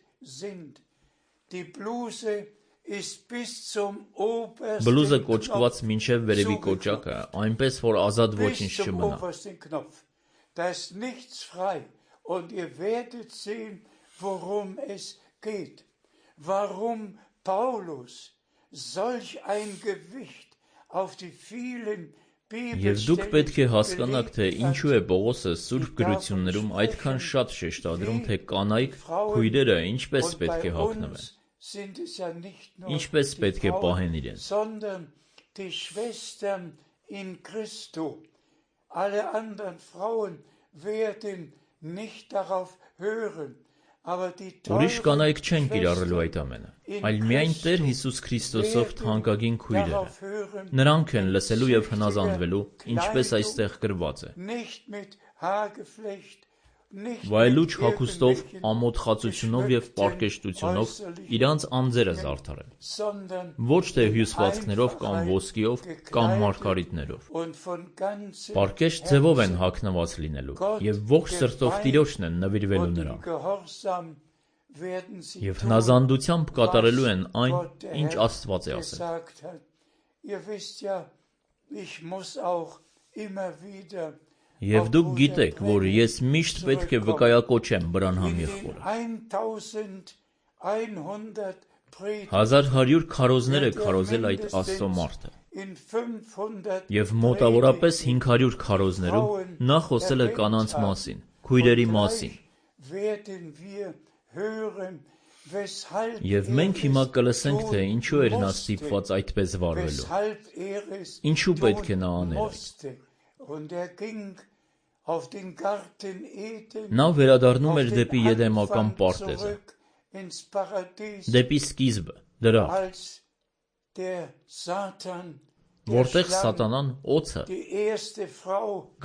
A: Բլուզը կոճկված մինչև վերևի կոճակը, այնպես որ ազատ ոչինչ չմնա։
C: Da ist nichts frei. Und ihr werdet sehen, worum es geht. Warum Paulus solch ein Gewicht auf die vielen
A: Եվ դուք պետք է հասկանաք, թե ինչու է Պողոսը Սուրբ գրություններում այդքան շատ շեշտադրում, թե կանայք, քույրերը ինչպես պետք է հագնվեն, ինչպես պետք է պահեն իրենց։
C: Alle anderen Frauen werden nicht darauf hören, aber die
A: Ուրիշ կանայք չեն կիրառելու այդ ամենը, այլ միայն Տեր Հիսուս Քրիստոսով թանկագին քույրերը։ Նրանք են լսելու եւ հնազանդվելու, ինչպես այստեղ գրված է։ Վայելուչ հագուստով, ամոթ խածությունով եւ պարկեշտությունով իրանց անձերը զարդարել, ոչ թե հյուսվածքներով կամ ոսկիով կամ մարգարիտներով։ Պարկեշտ ձևով են հագնված լինելու եւ ողջ սրտով Տիրոջն են նվիրվելու նրան։ Եվ հնազանդությամբ կատարելու են այն, ինչ Աստված է ասել։ Եվ դուք գիտեք, որ ես միշտ պետք է վկայակոչեմ Բրանհամ եղբորը։ 1100 քարոզներ է քարոզել այդ Աստծո մարդը։ Եվ մոտավորապես 500 քարոզներում նա խոսել է կանանց մասին, քույրերի մասին։ Եվ մենք հիմա կլսենք, թե ինչու էր նա ստիպված այդպես վարվելու։ Ինչու պետք է նա աներ այդ։ Նա վերադառնում էր դեպի Եդեմական պարտեզը, դեպի սկիզբը, դրախ, որտեղ Սատանան օձը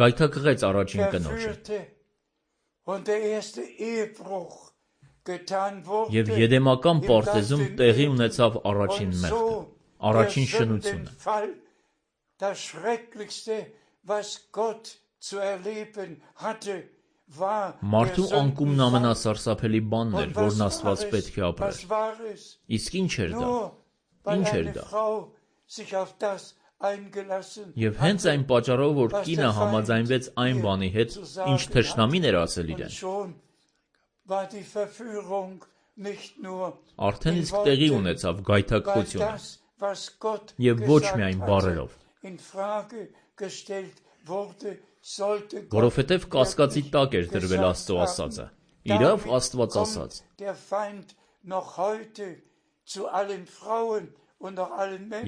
A: գայթակղեց առաջին կնոջը։ Եվ Եդեմական պարտեզում տեղի ունեցավ առաջին մեղքը, առաջին շնությունը։ Մարդու անկումն ամենասարսափելի բանն էր, որն Աստված պետք է ապրեր։ Իսկ ինչ էր դա։ Ինչ էր դա։ Եվ հենց այն պատճառով, որ կինը համաձայնվեց այն բանի հետ, ինչ թշնամին էր ասել իրեն, արդեն իսկ տեղի ունեցավ գայթակղությունը, եւ ոչ միայն բառերով, որովհետև կասկածի տակ էր դրվել Աստծո ասածը։ Իրավ Աստված ասաց։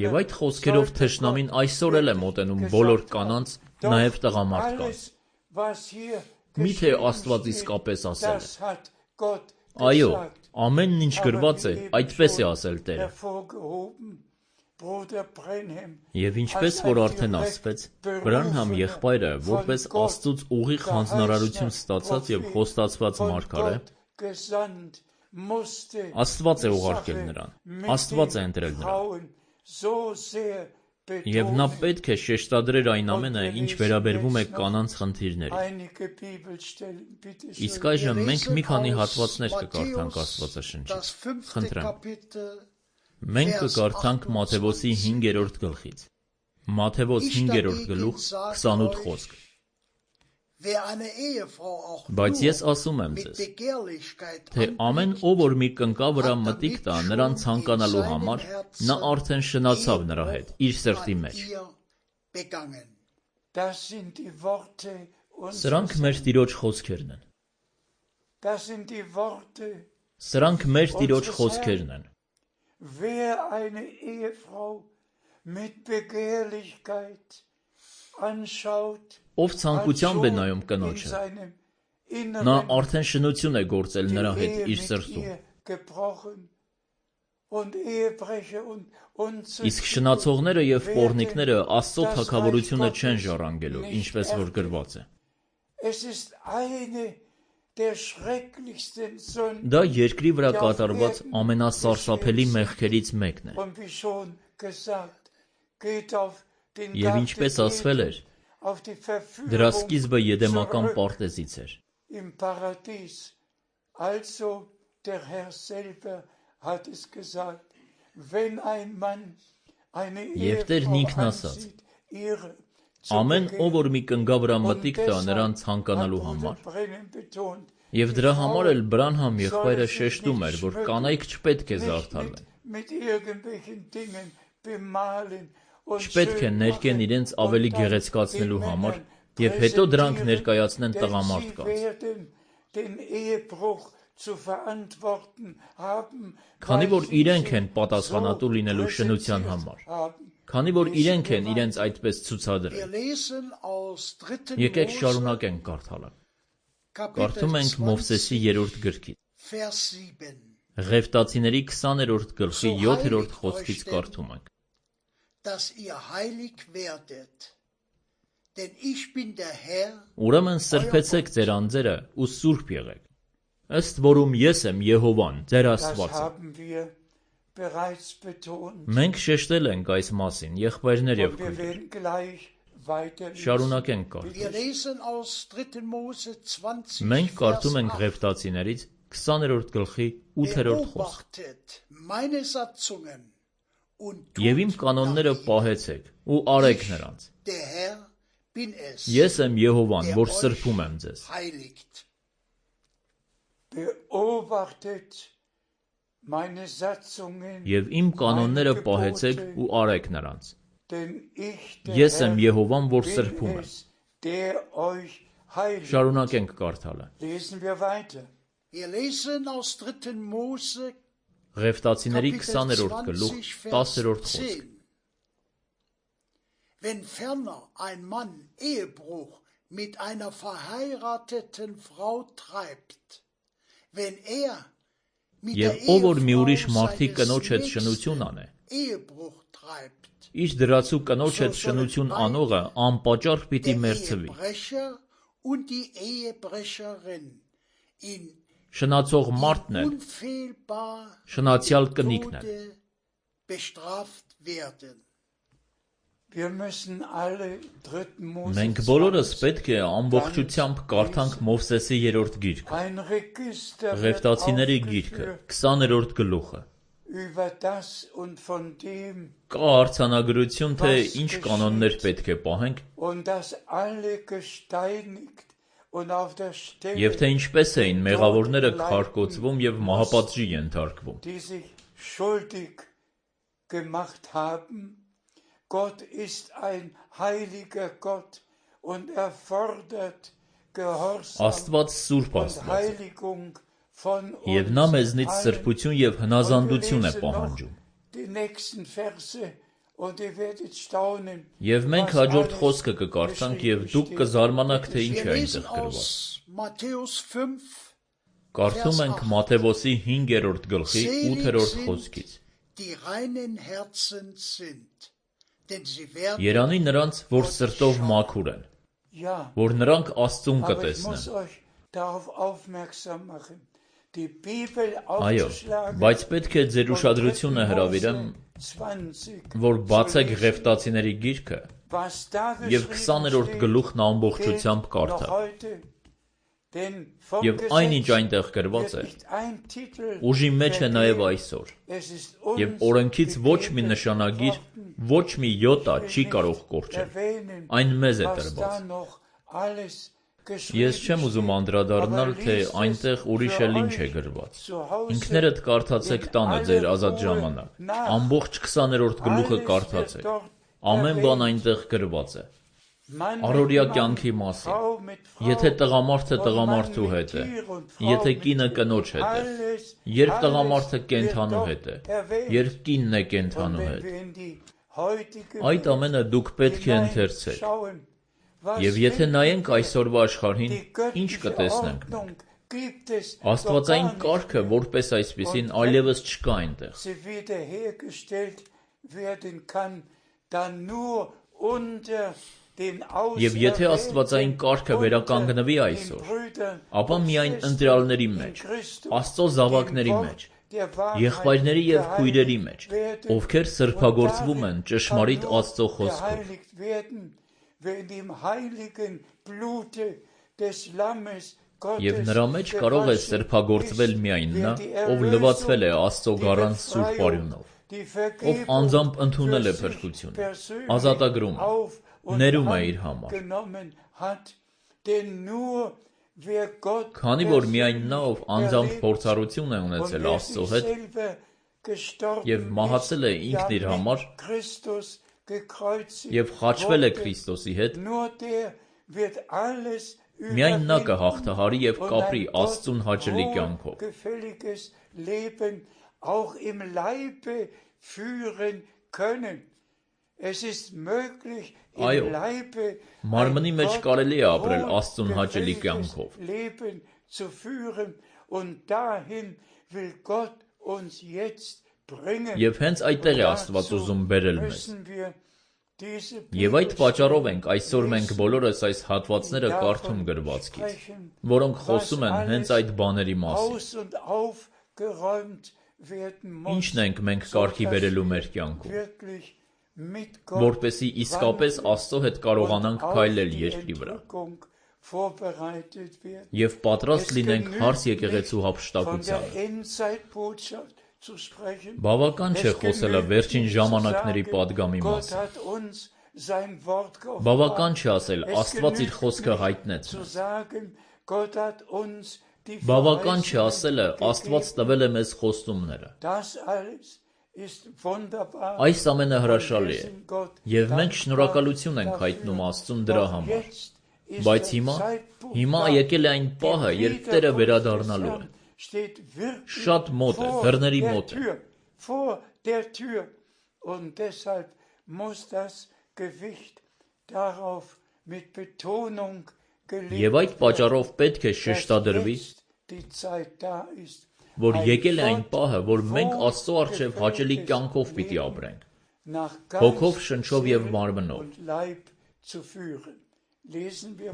A: Եվ այդ խոսքերով թշնամին այսօր էլ է մոտենում բոլոր կանանց, նաև տղամարդկանց։ Միթե Աստված իսկապես ասել է։ Այո, ամենն ինչ գրված է, այդպես է ասել Տերը։ Եվ ինչպես որ արդեն ասվեց, Բրանհամ եղբայրը, որպես Աստծուց ուղիղ հանձնարարություն ստացած եւ խոստացված մարգարե, Աստված է ուղարկել նրան, Աստված է ընտրել նրան։ Եվ նա պետք է շեշտադրեր այն ամենը, ինչ վերաբերվում է կանանց խնդիրներին։ Իսկ այժմ մենք մի քանի հատվածներ կկարդանք Աստվածաշնչից։ Խնդրեմ։ Մենք կկարդանք Մատթեոսի 5-րդ գլխից։ Մատթեոս 5-րդ գլուխ 28 խոսք։ Բայց ես ասում եմ ձեզ, թե ամեն ով որ մի կնկա վրա մտիկ տա նրան ցանկանալու համար, նա արդեն շնացավ նրա հետ, իր սրտի մեջ։ Սրանք մեր Տիրոջ խոսքերն են։ Սրանք մեր Տիրոջ խոսքերն են։
C: mit Begehrlichkeit anschaut,
A: Ով ցանկությամբ է նայում
C: in
A: կնոջը,
C: seinem
A: նա
C: Inneren
A: արդեն շնություն է գործել
C: die
A: նրա հետ
C: Ehe
A: իր
C: mit
A: սրտում,
C: ihr gebrochen und Ehebrecher und
A: իսկ շնացողները եւ պոռնիկները Աստծո թագավորությունը չեն ժառանգելու, ինչպես որ գրված է։
C: Es ist eine der schrecklichsten Sünden.
A: Դա երկրի վրա կատարված ամենասարսափելի մեղքերից մեկն է։
C: Und wie schon gesagt, geht auf den
A: Եվ ինչպես ասվել էր,
C: auf die
A: դրա
C: Verführung
A: սկիզբը եդեմական
C: zurück
A: պարտեզից էր։
C: im Paradies. Also der Herr selber hat es gesagt, wenn ein Mann eine
A: Եվ Տերն
C: Ehefrau
A: ինքն ասաց.
C: ansieht, ihre zu
A: Ամեն ով որ մի կնգա վրա
C: und
A: մտիկ տա
C: deshalb
A: նրան
C: hat
A: ցանկանալու
C: Bruder
A: համար,
C: Brennan betont,
A: եւ
C: die
A: դրա
C: Frau
A: համար էլ Բրանհամ եղբայրը
C: soll sich
A: շեշտում
C: nicht
A: էր, որ
C: schmücken,
A: կանայք չպետք է
C: nicht
A: զարդարվեն,
C: mit irgendwelchen Dingen bemalen und
A: չպետք է
C: schön
A: ներկեն
C: machen
A: իրենց
C: und
A: ավելի
C: dann
A: գեղեցկացնելու
C: den
A: համար
C: Männern
A: եւ հետո դրանք
C: präsentieren,
A: ներկայացնեն
C: denn
A: տղամարդ
C: sie
A: կանց։
C: werden den Ehebruch zu verantworten haben,
A: Քանի
C: weil
A: որ
C: sie
A: իրենք
C: sich
A: են պատասխանատու
C: so
A: լինելու շնության
C: präsentiert
A: համար,
C: haben.
A: քանի որ իրենք են իրենց այդպես
D: Wir
A: ցուցադրել։
D: lesen aus 3.
A: Եկեք
D: Mose,
A: շարունակենք կարդալը։
D: Kapitel
A: Կարդում ենք
D: 20,
A: Մովսեսի 3-րդ գրքից։
D: Vers 7.
A: Ղևտացիների 20-րդ գլխի 7-րդ խոսքից կարդում ենք։
D: Dass ihr heilig werdet. Denn ich bin der Herr,
A: Ուրեմն սրբեցեք ձեր անձերը ու սուրբ եղեք, ըստ որում ես եմ Եհովան, ձեր
C: Das
A: Աստվածը։
C: haben wir bereits betont
A: Մենք շեշտել ենք այս մասին, եղբայրներ եւ
C: und wir
A: քույրեր։
C: werden gleich weiterlesen.
A: Շարունակենք կարդալ։
D: wir lesen aus 3. Mose 20,
A: Մենք կարդում
D: Vers
A: ենք
D: 8.
A: Ղևտացիներից 20-րդ գլխի 8-րդ խոսք։
D: Beobachtet meine Satzungen und
A: Եվ իմ
D: tut
A: կանոնները
D: nach ihnen.
A: պահեցեք ու արեք նրանց։
D: Der Herr bin es,
A: Ես եմ Եհովան, որ սրբում եմ ձեզ։
D: heiligt.
C: Beobachtet meine Satzungen,
A: Եվ իմ կանոնները պահեցեք ու արեք նրանց։
C: denn ich, der
A: Ես եմ
C: Herr,
A: Եհովան, որ
C: bin
A: սրբում եմ։
C: es, der euch heiligt.
A: Շարունակենք կարդալը։
C: Lesen wir weiter.
D: Wir lesen aus 3. Mose
A: Ղևտացիների
D: Kapitel
A: 20-րդ գլուխ
D: 20, Vers
A: 10-րդ խոսք։
D: 10. Wenn ferner ein Mann Ehebruch mit einer verheirateten Frau treibt, wenn mit der
A: Եվ ով որ մի ուրիշ
D: Ehefrau
A: մարդի
D: seines
A: կնոջ հետ
D: Nächsten
A: շնություն անե,
D: Ehebruch treibt,
A: իր դրացու կնոջ հետ շնություն անողը անպատճառ պիտի
D: der
A: մերձվի։
D: Ehebrecher und die Ehebrecherin in
A: Շնացող մարդն էլ
D: unfehlbar
A: շնացյալ կնիկն էլ։
D: Tode bestraft werden.
C: Wir müssen alle 3. Mose
A: Մենք բոլորս պետք է ամբողջությամբ կարդանք Մովսեսի 3-րդ գիրքը,
C: ein Register wird
A: Ղևտացիների գիրքը,
C: aufgeführt
A: 20-րդ գլուխը։
C: über das und von dem
A: Կա արձանագրություն, թե ինչ կանոններ պետք է պահենք
C: und dass alle gesteinigt und auf der Stelle
A: եւ թե ինչպես էին մեղավորները քարկոծվում եւ մահապատժի ենթարկվում։
C: die sich schuldig gemacht haben. Gott ist ein heiliger Gott und er fordert Gehorsam
A: Աստված սուրբ
C: und
A: Աստված է,
C: Heiligung von
A: եւ
C: uns
A: նա մեզնից
C: allen.
A: սրբություն եւ
C: Und wir
A: հնազանդություն է
C: lesen noch
A: պահանջում։
C: die nächsten Verse und ihr werdet staunen,
A: Եվ մենք
C: was
A: հաջորդ
C: alles
A: խոսքը կկարդանք եւ դուք
C: geschrieben
A: կզարմանաք, թե ինչ
D: Wir
A: է
D: lesen
A: այնտեղ գրված։
D: aus Matthäus 5,
A: Կարդում ենք Մատթեոսի 5-րդ գլխի 8-րդ խոսքից։
D: die reinen Herzen sind, denn sie werden
A: Երանի նրանց, որ սրտով մաքուր են,
C: Ja,
A: որ նրանք Աստծուն
C: aber ich muss
A: կտեսնեն։
C: euch darauf aufmerksam machen. Die Bibel
A: Այո,
C: aufzuschlagen
A: բայց պետք է ձեր
C: und
A: ուշադրությունը
C: 3.
A: հրավիրեմ,
C: Mose 20
A: որ բացեք
C: zu lesen.
A: Ղևտացիների գիրքը
C: Was da
A: եւ
C: geschrieben
A: 20-րդ
C: steht,
A: գլուխն ամբողջությամբ
C: gilt noch
A: կարդալ։
C: heute. Denn vom
A: Եվ այնինչ
C: Gesetz
A: այնտեղ գրված
C: wird
A: է,
C: nicht ein Titel
A: ուժի մեջ է նաև
C: vergeben.
A: այսօր։
C: Es ist
A: Եվ
C: uns
A: օրենքից ոչ մի
C: gegeben
A: նշանագիր,
C: worden,
A: ոչ մի յոտա
C: will
A: չի
C: nicht
A: կարող կորչել։
C: erwähnen,
A: Այն մեզ է
C: was da
A: տրված։
C: noch alles
A: Ես
C: geschrieben
A: չեմ ուզում
C: steht,
A: անդրադառնալ,
C: aber
A: թե
C: liest es
A: այնտեղ ուրիշ
C: für
A: էլ ինչ է
C: euch
A: գրված։
C: zu Hause
A: Ինքներդ կարդացեք տանը ձեր ազատ ժամանակ։ Ամբողջ 20-րդ գլուխը
C: alles
A: կարդացեք։
C: wird dort
A: Ամեն բան
C: erwähnt.
A: այնտեղ գրված է։
C: Mann mit
A: Առօրյա
C: Mann,
A: կյանքի մասին։
C: Frau mit Frau,
A: Եթե տղամարդը
C: und
A: տղամարդու
C: Mann mit
A: հետ է,
C: Tier und Frau
A: եթե
C: mit
A: կինը
C: Tier,
A: կնոջ հետ է,
C: alles,
A: երբ
C: alles
A: տղամարդը
C: wird
A: կենթանու
C: dort
A: հետ է,
C: erwähnt.
A: երբ կինն է
C: Und
A: կենթանու
C: wenn
A: հետ։
C: wir in die
A: Այդ ամենը դուք պետք է ընթերցեք։ Եվ եթե նայենք այսօրվա աշխարհին, ինչ կտեսնենք մենք։ Աստվածային կարգը որպես այսպիսին այլևս չկա այնտեղ։ Եվ եթե աստվածային կարգը վերականգնվի այսօր, ապա միայն ընտրյալների մեջ, Աստծո զավակների մեջ, եղբայրների և քույրերի մեջ, ովքեր սրբագործվում են ճշմարիտ Աստծո խոսքով։ Եվ նրա մեջ կարող է սրբագործվել միայն նա, ով լվացվել է Աստծո գառան սուրբ արյունով, ով անձամբ ընդունել է փրկությունը, ազատագրում է, ներում է իր համար։ Քանի որ միայն նա, ով անձամբ փորձառություն է ունեցել Աստծո հետ և մահացել է ինքն իր համար և խաչվել է Քրիստոսի հետ, միայն նա կհաղթահարի և կապրի Աստծուն հաճելի կյանքով։ Այո, մարմնի մեջ կարելի է ապրել Աստծուն հաճելի կյանքով։ Եվ հենց այդտեղ է Աստված ուզում բերել մեզ։ Եվ այդ պատճառով ենք այսօր մենք բոլորս այս հատվածները կարդում գրվածքից, որոնք խոսում են հենց այդ բաների մասին։ Ինչն ենք մենք կարգի բերելու մեր կյանքում, որպեսզի իսկապես Աստծո հետ կարողանանք քայլել երկրի վրա և պատրաստ լինենք հարս եկեղեցու հափշտակությանը։ Բավական չէ խոսելը վերջին ժամանակների պատգամի մասին։ Բավական չէ ասել Աստված իր խոսքը հայտնեց մեզ։ Բավական չէ ասելը Աստված տվել է մեզ խոստումները։ Այս ամենը հրաշալի է, և մենք շնորհակալություն ենք հայտնում Աստծուն դրա համար։ Բայց հիմա եկել է այն պահը, երբ Տերը վերադառնալու է։ Շատ մոտ է, դռների մոտ է։ Եվ այդ պատճառով պետք է շեշտադրվի, որ եկել է այն պահը, որ մենք Աստծո առջև հաճելի կյանքով պիտի ապրենք, հոգով, շնչով և մարմնով,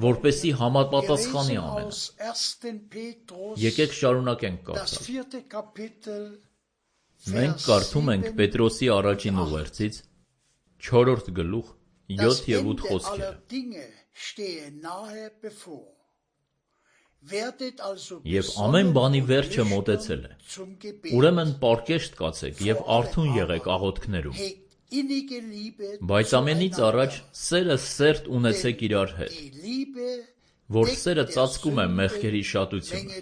A: որպեսզի համապատասխանի ամենը։ Եկեք շարունակենք կարդալ։ Մենք կարդում ենք Պետրոսի առաջին ուղերձից 4-րդ գլուխ 7 և 8 խոսքերը։ Եվ ամեն բանի վերջը մոտեցել է։ Ուրեմն պառկեշտ կացեք և արթուն եղեք աղոթքներում։ Բայց ամենից առաջ սերը սերտ ունեցեք իրար հետ, որ սերը ծածկում է մեղքերի շատությունը։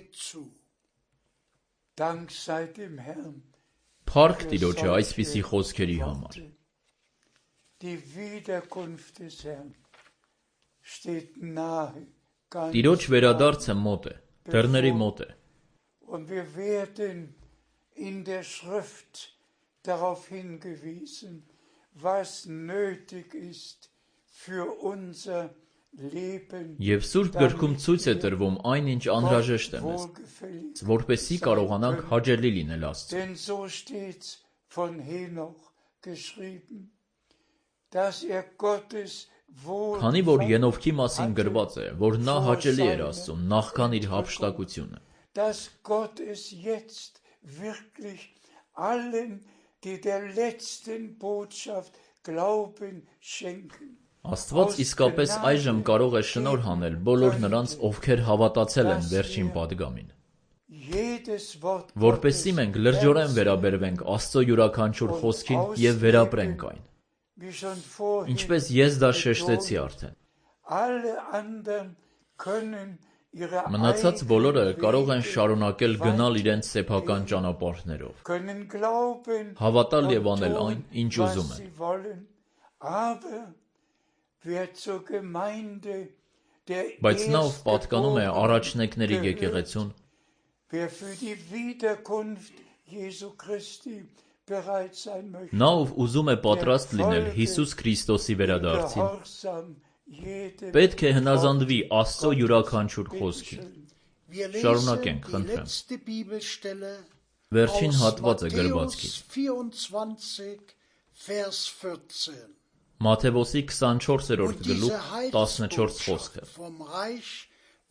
A: Փառք Տիրոջը այսպիսի խոսքերի համար։ Տիրոջ վերադարձը մոտ է, դռների մոտ է։ Եվ Սուրբ գրքում ցույց է տրվում այն, ինչ անհրաժեշտ է մեզ, որպեսզի կարողանանք հաճելի լինել Աստծուն։ Քանի որ Ենովքի մասին գրված է, որ նա հաճելի էր Աստծուն նախքան իր հափշտակությունը։ Աստված իսկապես այժմ կարող է շնորհ անել բոլոր նրանց, ովքեր հավատացել են վերջին պատգամին, որպեսզի մենք լրջորեն վերաբերվենք Աստծո յուրաքանչյուր խոսքին և վերապրենք այն։ Ինչպես ես դա շեշտեցի արդեն։ Մնացած բոլորը կարող են շարունակել գնալ իրենց սեփական ճանապարհներով, հավատալ և անել այն, ինչ ուզում են։ Բայց նա, ով պատկանում է առաջնեկների եկեղեցուն,
C: bereit sein möchte.
A: Նա ով ուզում է պատրաստ լինել Հիսուս Քրիստոսի վերադարձին,
C: Gehorsam jedem
A: պետք է հնազանդվի Աստծո յուրաքանչյուր խոսքին։
D: Wir
A: Շարունակենք,
D: lesen die
A: խնդրեմ։
D: letzte Bibelstelle
A: Վերջին
D: aus
A: հատվածը
D: Matthäus
A: գրվածքից։
D: 24, Vers 14.
A: Մատթեոսի 24-րդ
D: Und
A: գլուխ
D: diese
A: 14
D: Heilsbotschaft
A: խոսքը։
D: vom Reich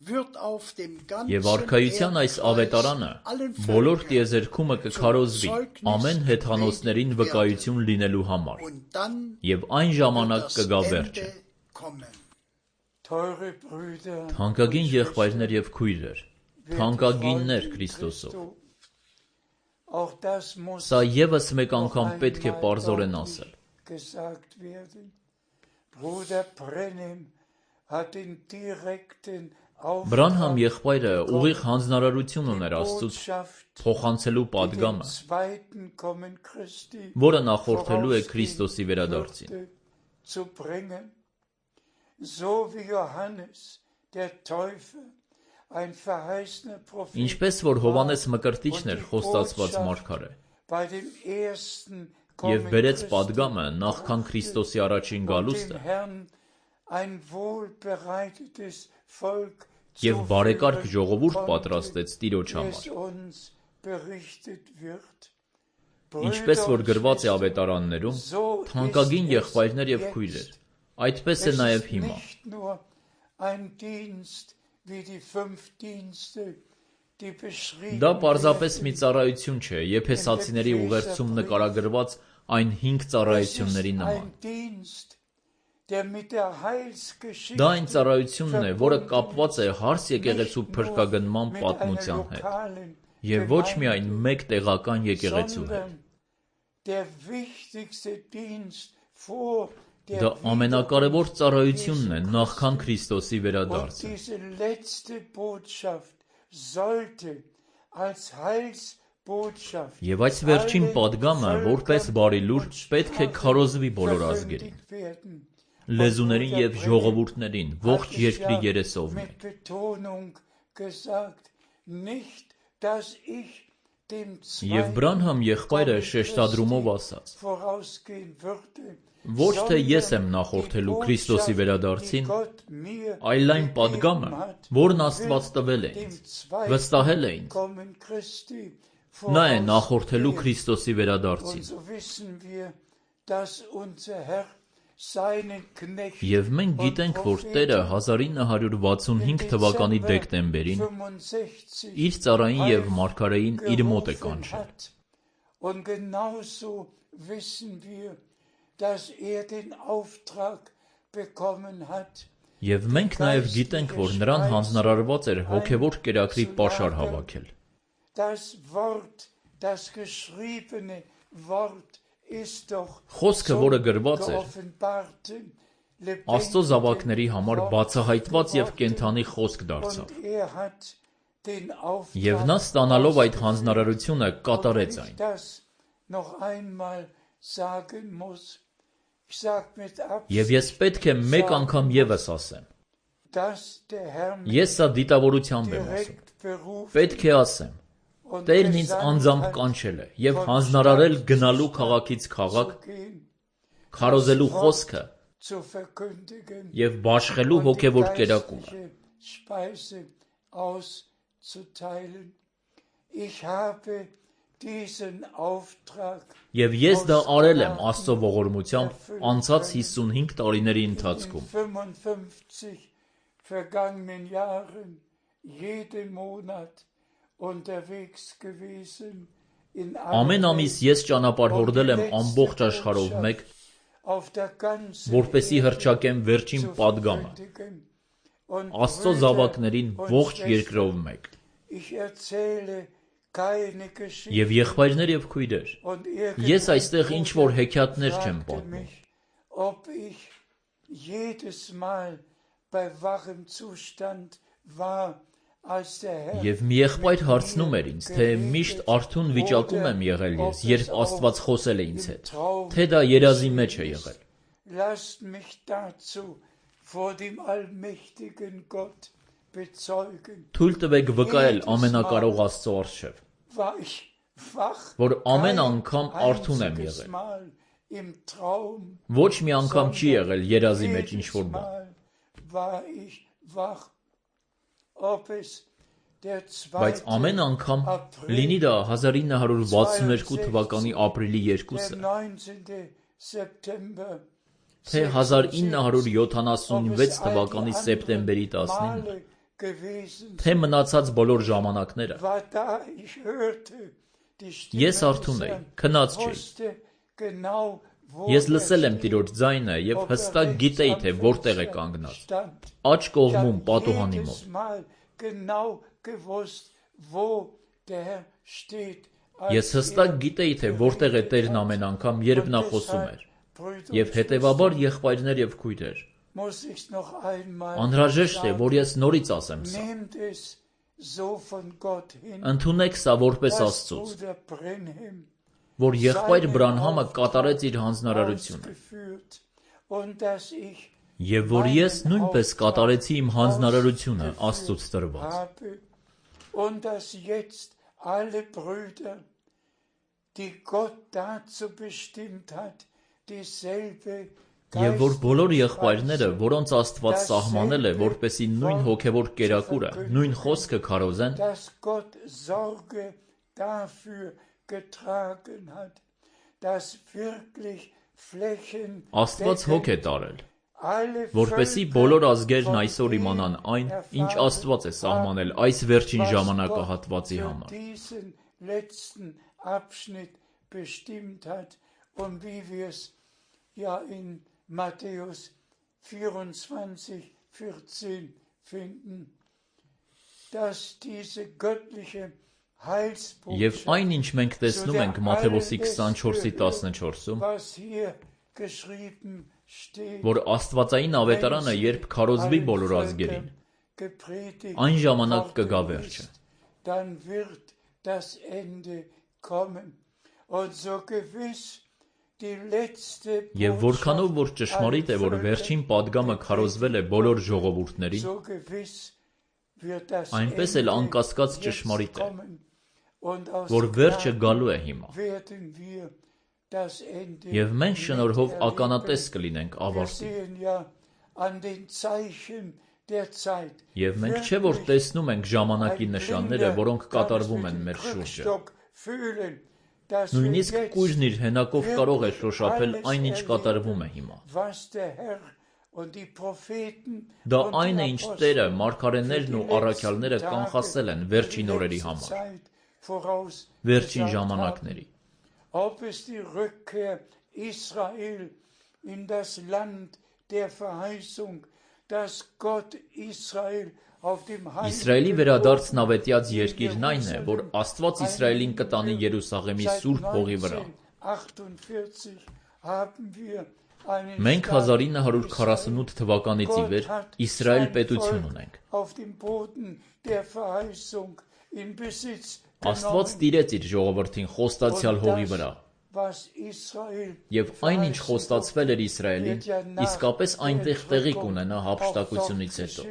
D: wird auf dem
A: Եվ
D: ganzen
A: արքայության այս ավետարանը
D: allen
A: բոլոր
D: Völkern
A: տիեզերքումը կքարոզվի ամեն հեթանոսներին վկայություն լինելու համար,
D: und dann
A: եւ այն
D: wird
A: ժամանակ
D: das
A: կգա
D: Ende
A: վերջը։
C: Teure
D: kommen.
C: Brüder,
A: Թանկագին եղբայրներ եւ քույրեր, թանկագիններ Քրիստոսով։
C: auch das muss
A: Սա եւս մեկ
C: noch
A: անգամ պետք է
C: einmal
A: պարզորեն
C: deutlich
A: ասել։
C: gesagt werden. Bruder Brenhem hat den direkten
A: Բրանհամ
C: Auftrag,
A: եղբայրը ուղիղ հանձնարարություն ուներ
C: die
A: Աստծուց
C: Botschaft
A: փոխանցելու
C: dem
A: падգամը,
C: zweiten Kommen Christi
A: որը նախորդելու է Քրիստոսի վերադարձին։
C: Würde zu bringen, so wie Johannes der Täufer ein verheißener Prophet
A: Ինչպես որ Հովանես Մկրտիչն էր խոստացված մարգարե,
C: bei dem ersten
A: եւ
C: Kommen
A: բերեց
C: Christi
A: падգամը նախքան Քրիստոսի առաջին
C: und
A: գալուստը,
C: dem Herrn ein wohlbereitetes Volk
A: եւ
C: zu
A: բարեկարգ
C: führen
A: ժողովուրդ
C: konnte,
A: պատրաստեց Տիրոջ
C: es
A: համար։
C: uns berichtet wird.
A: Ինչպես որ գրված է ավետարաններում, թանկագին եղբայրներ եւ քույրեր, այդպես է նաեւ հիմա։
C: Nicht nur ein Dienst wie die 5 Dienste, die beschrieben
A: Դա պարզապես մի
C: werden.
A: ծառայություն չէ, Եփեսացիների ուղերձում նկարագրված այն 5
C: Es
A: ծառայությունների
C: ist
A: նման։
C: ein Dienst, der mit der Heilsgeschichte
A: Դա այն ծառայությունն է, որը
C: verbunden
A: կապված է
C: ist,
A: հարս եկեղեցու
C: nicht nur
A: փրկագնման
C: mit
A: պատմության
C: einer
A: հետ,
C: lokalen
A: եւ ոչ միայն
C: Gemeinde,
A: մեկ տեղական եկեղեցու հետ։
C: sondern der wichtigste Dienst vor der
A: Դա ամենակարևոր ծառայությունն է նախքան Քրիստոսի
C: Und
A: վերադարձը։
C: diese letzte Botschaft sollte als Heilsbotschaft
A: Եվ այս վերջին падգամը, որպես բարի լուր, պետք է քարոզվի բոլոր ազգերին,
C: werden.
A: լեզուներին եւ ժողովուրդներին, ողջ երկրի երեսով
C: Mit
A: մեկ։
C: Betonung gesagt, nicht, dass ich dem
A: Եվ Բրանհամ եղբայրը շեշտադրումով ասաց.
C: vorausgehen würde,
A: Ոչ թե ես եմ նախորդելու Քրիստոսի վերադարձին, այլ այն падգամը, որն Աստված տվել է ինձ, վստահել է ինձ, նա է նախորդելու Քրիստոսի
C: Und
A: վերադարձին։
C: so wissen wir, dass unser Herr seinen Knecht
A: Եվ մենք գիտենք, որ Տերը 1965 թվականի դեկտեմբերին
C: 65
A: իր ծառային եւ մարգարեին իր մոտ է կանչել։
C: hat. Und genauso wissen wir, dass den Auftrag bekommen hat,
A: Եվ մենք նաև գիտենք, որ նրան հանձնարարված էր հոգևոր կերակրի պաշար հավաքել։
C: das Wort, das geschriebene Wort ist doch
A: Խոսքը, որը գրված էր,
C: geoffenbarten,
A: Աստծո զավակների համար բացահայտված եւ կենթանի խոսք դարձավ։
C: Und hat den Auftrag
A: Եվ նա ստանալով այդ հանձնարարությունը կատարեց այն։
C: das noch einmal sagen muss. Ich sag mit
A: Եվ ես պետք է մեկ անգամ եւս ասեմ։
C: dass der Herr mich
A: Ես սա դիտավորությամբ եմ ասում։
C: direkt berufen
A: Պետք է ասեմ։
C: und
A: Տերն ինձ
C: gesandt
A: անձամբ
C: hat,
A: կանչել է եւ հանձնարարել գնալու քաղաքից քաղաք,
C: zu gehen,
A: քարոզելու խոսքը
C: zu verkündigen
A: եւ բաշխելու
C: und die
A: հոգևոր կերակուրը։
C: geistliche Speise auszuteilen. Ich habe diesen Auftrag
A: Եվ ես դա արել եմ Աստծո ողորմությամբ անցած 55 տարիների
C: in
A: ընթացքում։
C: 55 vergangenen Jahren jeden Monat unterwegs gewesen in
A: Ամեն ամիս ես ճանապարհորդել եմ ամբողջ աշխարհով մեկ,
C: auf der ganzen
A: որպեսի հռչակեմ վերջին
C: zu
A: падգամը,
C: verkündigen. Und
A: Աստծո
C: Brüder
A: զավակներին
C: und
A: ողջ
C: Schwestern,
A: երկրով մեկ։
C: ich erzähle keine Geschichte
A: Եվ եղբայրներ եւ քույրեր,
C: und
A: ես այստեղ ինչ որ հեքիաթներ չեմ
C: fragte
A: պատմում։
C: mich, ob ich jedes Mal bei wachem Zustand war, als der Herr
A: Եվ մի եղբայր հարցնում էր ինձ, թե միշտ արթուն վիճակում եմ եղել ես, երբ Աստված խոսել է ինձ հետ, թե դա երազի մեջ է եղել։
C: Lasst mich dazu vor dem allmächtigen Gott bezeugen.
A: Թույլ տվեք վկայել ամենակարող Աստծո առջև,
C: War ich
A: որ ամեն անգամ արթուն եմ եղել։ Ոչ մի անգամ չի եղել երազի մեջ ինչ-որ բան։ Բայց ամեն անգամ, լինի դա 1962 թվականի ապրիլի 2-ը, թե 1976 թվականի սեպտեմբերի 19-ը, թե մնացած բոլոր ժամանակները, ես արթուն էի, քնած չէի։ Ես լսել եմ Տիրոջ ձայնը և հստակ գիտեի, թե որտեղ է կանգնած, աջ կողմում պատուհանի մոտ։ Ես հստակ գիտեի, թե որտեղ է Տերն ամեն անգամ, երբ նա խոսում էր, և հետևաբար եղբայրներ և քույրեր, անհրաժեշտ է, որ ես նորից ասեմ սա. ընդունեք սա որպես Աստծուց, որ եղբայր Բրանհամը կատարեց իր հանձնարարությունը, և որ ես նույնպես կատարեցի իմ հանձնարարությունը Աստծուց տրված։ Եվ որ բոլոր եղբայրները, որոնց Աստված սահմանել է, որպեսզի նույն հոգևոր կերակուրը, նույն խոսքը քարոզեն, Աստված հոգ է տարել, որպեսզի բոլոր ազգերն այսօր իմանան այն, ինչ Աստված է սահմանել այս վերջին ժամանակահատվածի համար։ Եվ այն, ինչ մենք տեսնում ենք Մատթեոս 24:14-ում, որ Աստվածային ավետարանը երբ քարոզվի բոլոր ազգերին, այն ժամանակ կգա վերջը։ Եվ որքանով որ ճշմարիտ է, որ վերջին պատգամը քարոզվել է բոլոր ժողովուրդներին, այնպես էլ անկասկած ճշմարիտ է, որ վերջը գալու է հիմա։ Եվ մենք շնորհով ականատես կլինենք ավարտին։ Եվ մենք չէ որ տեսնում ենք ժամանակի նշանները, որոնք կատարվում են մեր շուրջը։ Նույնիսկ կույրն իր հենակով կարող է շոշափել այն, ինչ կատարվում է հիմա։ Դա այն է, ինչ Տերը, մարգարեներն ու առաքյալները կանխասել են վերջին օրերի համար, վերջին ժամանակների։ Իսրայելի վերադարձն ավետյաց երկիրն այն է, որ Աստված Իսրայելին կտանի Երուսաղեմի սուրբ հողի վրա։ Մենք 1948 թվականից ի վեր Իսրայել պետություն ունենք։ Աստված տիրեց իր ժողովրդին խոստացյալ հողի վրա, և այն, ինչ խոստացվել էր Իսրայելին, իսկապես այնտեղ տեղի կունենա հափշտակությունից հետո։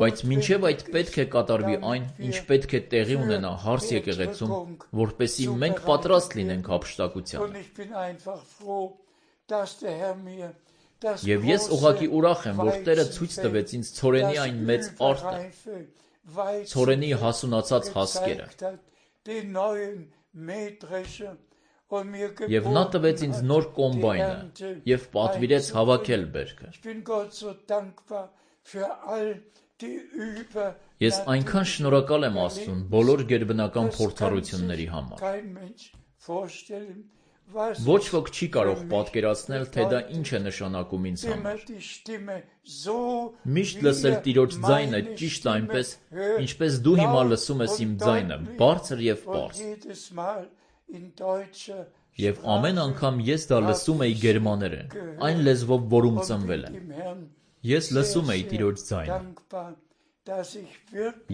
A: Բայց մինչև այդ պետք է կատարվի այն, ինչ պետք է տեղի ունենա հարս եկեղեցում, որպեսզի մենք պատրաստ լինենք հափշտակությանը։ Եվ ես ուղղակի ուրախ եմ, որ Տերը ցույց տվեց ինձ ցորենի այն մեծ արտը, ցորենի հասունացած հասկերը։ Եվ նա տվեց ինձ նոր կոմբայնը և պատվիրեց հավաքել բերքը։ Ես այնքան շնորհակալ եմ Աստծուն բոլոր գերբնական փորձառությունների համար։ Ոչ ոք չի կարող պատկերացնել, թե դա ինչ է նշանակում ինձ համար։ Միշտ լսել Տիրոջ ձայնը ճիշտ այնպես, ինչպես դու հիմա լսում ես իմ ձայնը, բարձր և պարզ։ Եվ ամեն անգամ ես դա լսում էի գերմաներեն, այն լեզվով, որում ծնվել եմ։ Ես լսում էի Տիրոջ ձայնը։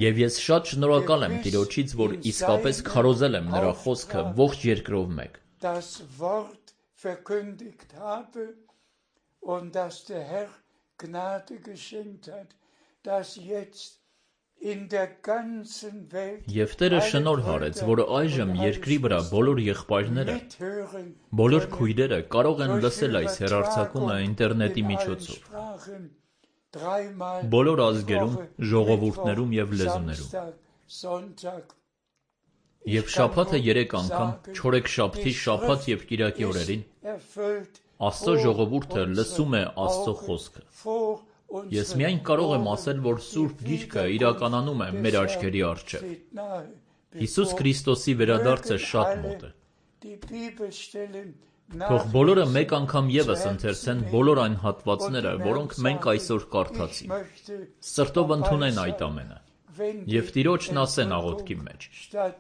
A: Եվ ես շատ շնորհակալ եմ Տիրոջից, որ իսկապես քարոզել եմ նրա խոսքը ողջ երկրով մեկ։
C: Gnade geschenkt hat, dass jetzt in der ganzen Welt
A: Եվ Տերը շնորհ արեց, որ այժմ երկրի վրա բոլոր եղբայրները,
C: mithören
A: բոլոր քույրերը կարող են լսել այս հեռարձակումը ինտերնետի միջոցով,
C: dreimal
A: բոլոր ազգերում, ժողովուրդներում և լեզուներում։
C: Samstag, Sonntag.
A: Եվ շաբաթը 3 անգամ, չորեքշաբթի, շաբաթ և կիրակի օրերին
C: Erfüllt
A: Աստծո ժողովուրդը լսում է Աստծո խոսքը։
C: vor
A: Ես միայն կարող եմ ասել, որ Սուրբ Գիրքը իրականանում է մեր աչքերի առջև։
C: steht nahe.
A: Հիսուս Քրիստոսի վերադարձը շատ մոտ է։
C: Die Bibelstellen
A: Թող բոլորը մեկ անգամ ևս ընթերցեն բոլոր այն հատվածները, որոնք մենք այսօր կարդացինք։ Սրտով ընդունեն այդ ամենը։ Եվ Տիրոջն ասեն աղոթքի մեջ.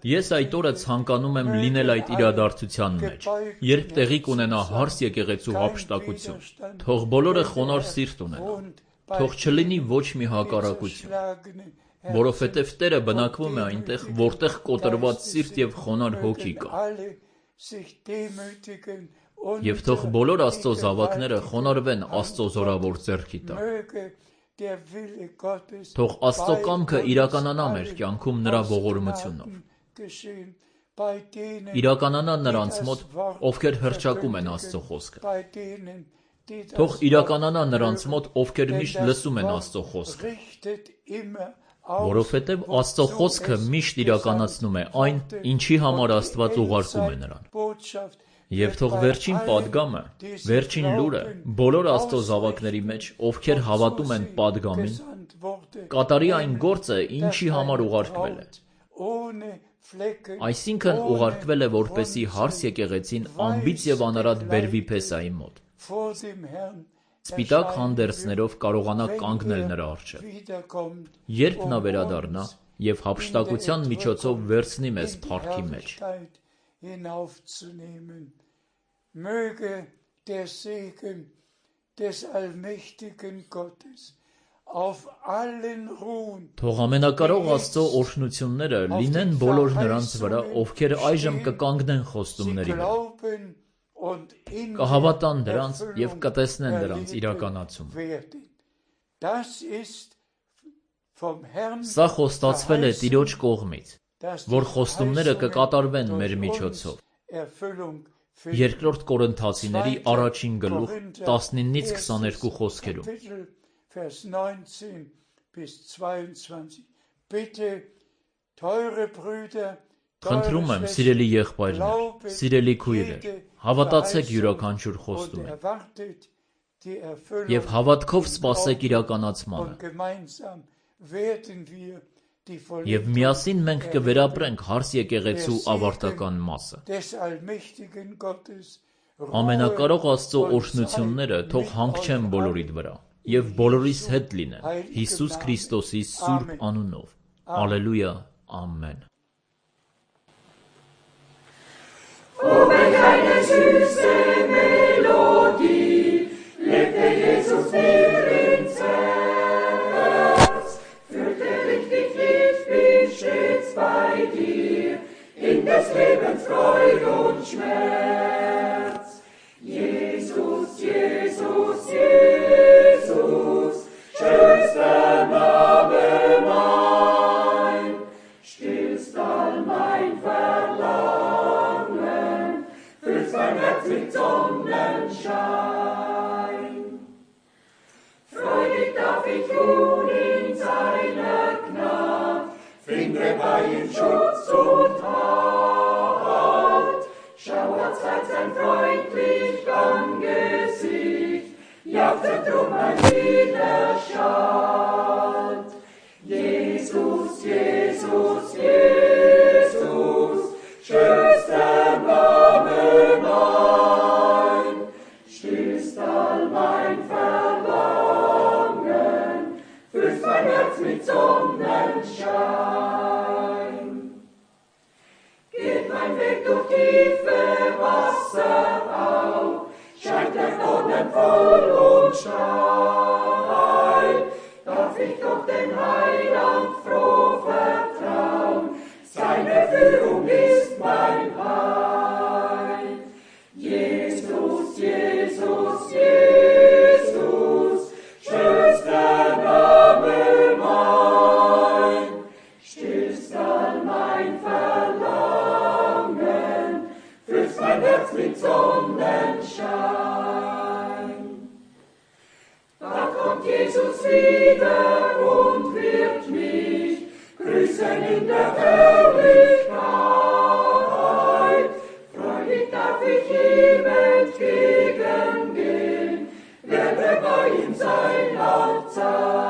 A: Ես այդ օրը ցանկանում եմ լինել այդ իրադարձության մեջ, երբ տեղի կունենա հարս եկեղեցու հափշտակություն։ Թող բոլորը խոնարհ սիրտ ունենան։ Թող չլինի ոչ մի հակառակություն, որովհետև Տերը բնակվում է այնտեղ, որտեղ կոտրված սիրտ և խոնարհ հոգի կա։ Եվ թող բոլոր Աստծո զավակները խոնարհվեն Աստծո զորավոր ձեռքի տակ։ Թող Աստծո կամքը իրականանա մեր կյանքում նրա ողորմությունով։ Իրականանա նրանց մոտ, ովքեր հռչակում են Աստծո խոսքը։ Թող իրականանա նրանց մոտ, ովքեր միշտ լսում են Աստծո խոսքը։ Որովհետև Աստծո խոսքը միշտ իրականացնում է այն, ինչի համար Աստված ուղարկում է նրան։ Եվ թող վերջին պատգամը, վերջին լուրը բոլոր Աստծո զավակների մեջ, ովքեր հավատում են պատգամին, կատարի այն գործը, ինչի համար ուղարկվել է։ Այսինքն ուղարկվել է, որպեսզի հարս եկեղեցին անբիծ և անարատ բերվի Փեսայի մոտ։ Սպիտակ հանդերձներով կարողանա կանգնել նրա առջև։ Երբ նա վերադառնա և հափշտակության միջոցով վերցնի մեզ փառքի մեջ։
C: Möge der Segen des allmächtigen Gottes auf allen ruhen.
A: Թող ամենակարող Աստծո օրհնությունները լինեն բոլոր նրանց վրա, ովքեր այժմ կկանգնեն խոստումների վրա, կհավատան դրանց և կտեսնեն դրանց իրականացումը։ Սա խոստացվել է Տիրոջ կողմից, որ խոստումները կկատարվեն մեր միջոցով։ Երկրորդ Կորինթացիների առաջին գլուխ 19-ից 22 խոսքերում։ Խնդրում եմ, սիրելի եղբայրներ, սիրելի քույրեր, հավատացեք յուրաքանչյուր խոստումին և հավատքով սպասեք իրականացմանը։ Եվ միասին մենք կվերապրենք հարս եկեղեցու ավարտական մասը։ Ամենակարող Աստծո օրհնությունները թող հանգչեն բոլորիդ վրա և բոլորիս հետ լինեն Հիսուս Քրիստոսի սուրբ անունով։ Ալելույա, ամեն։
E: Oh, welch eine süße Melodie legte Jesus mir ins Herz. Fürchterlich dich lieb, bin stets bei dir, in des Lebens Freud und Schmerz. Jesus, Jesus, Jesus, schönster Name mein, stillst all mein Verlangen, füllst mein Herz mit Sonnenschein. Freudig darf ich ruhen in seiner Gnade, finde bei ihm Schutz und Halt. Schauert sein freundlich Angesicht, jauchzet drum mein Widerstand. Jesus, Jesus, Jesus, schönster Name mein, stillst all mein Verlangen, füllst mein Herz mit Sonnenschein. Geht mein Weg durch tiefe Wasser auf, scheint der Dornen voll und steil, darf ich doch den Heiland froh vertrauen, seine Führung ist mein Heil. Jesus, Jesus, Jesus, schön wieder und wird mich grüßen in der Herrlichkeit. Freudig darf ich ihm entgegengehen, werde bei ihm sein Laut sein.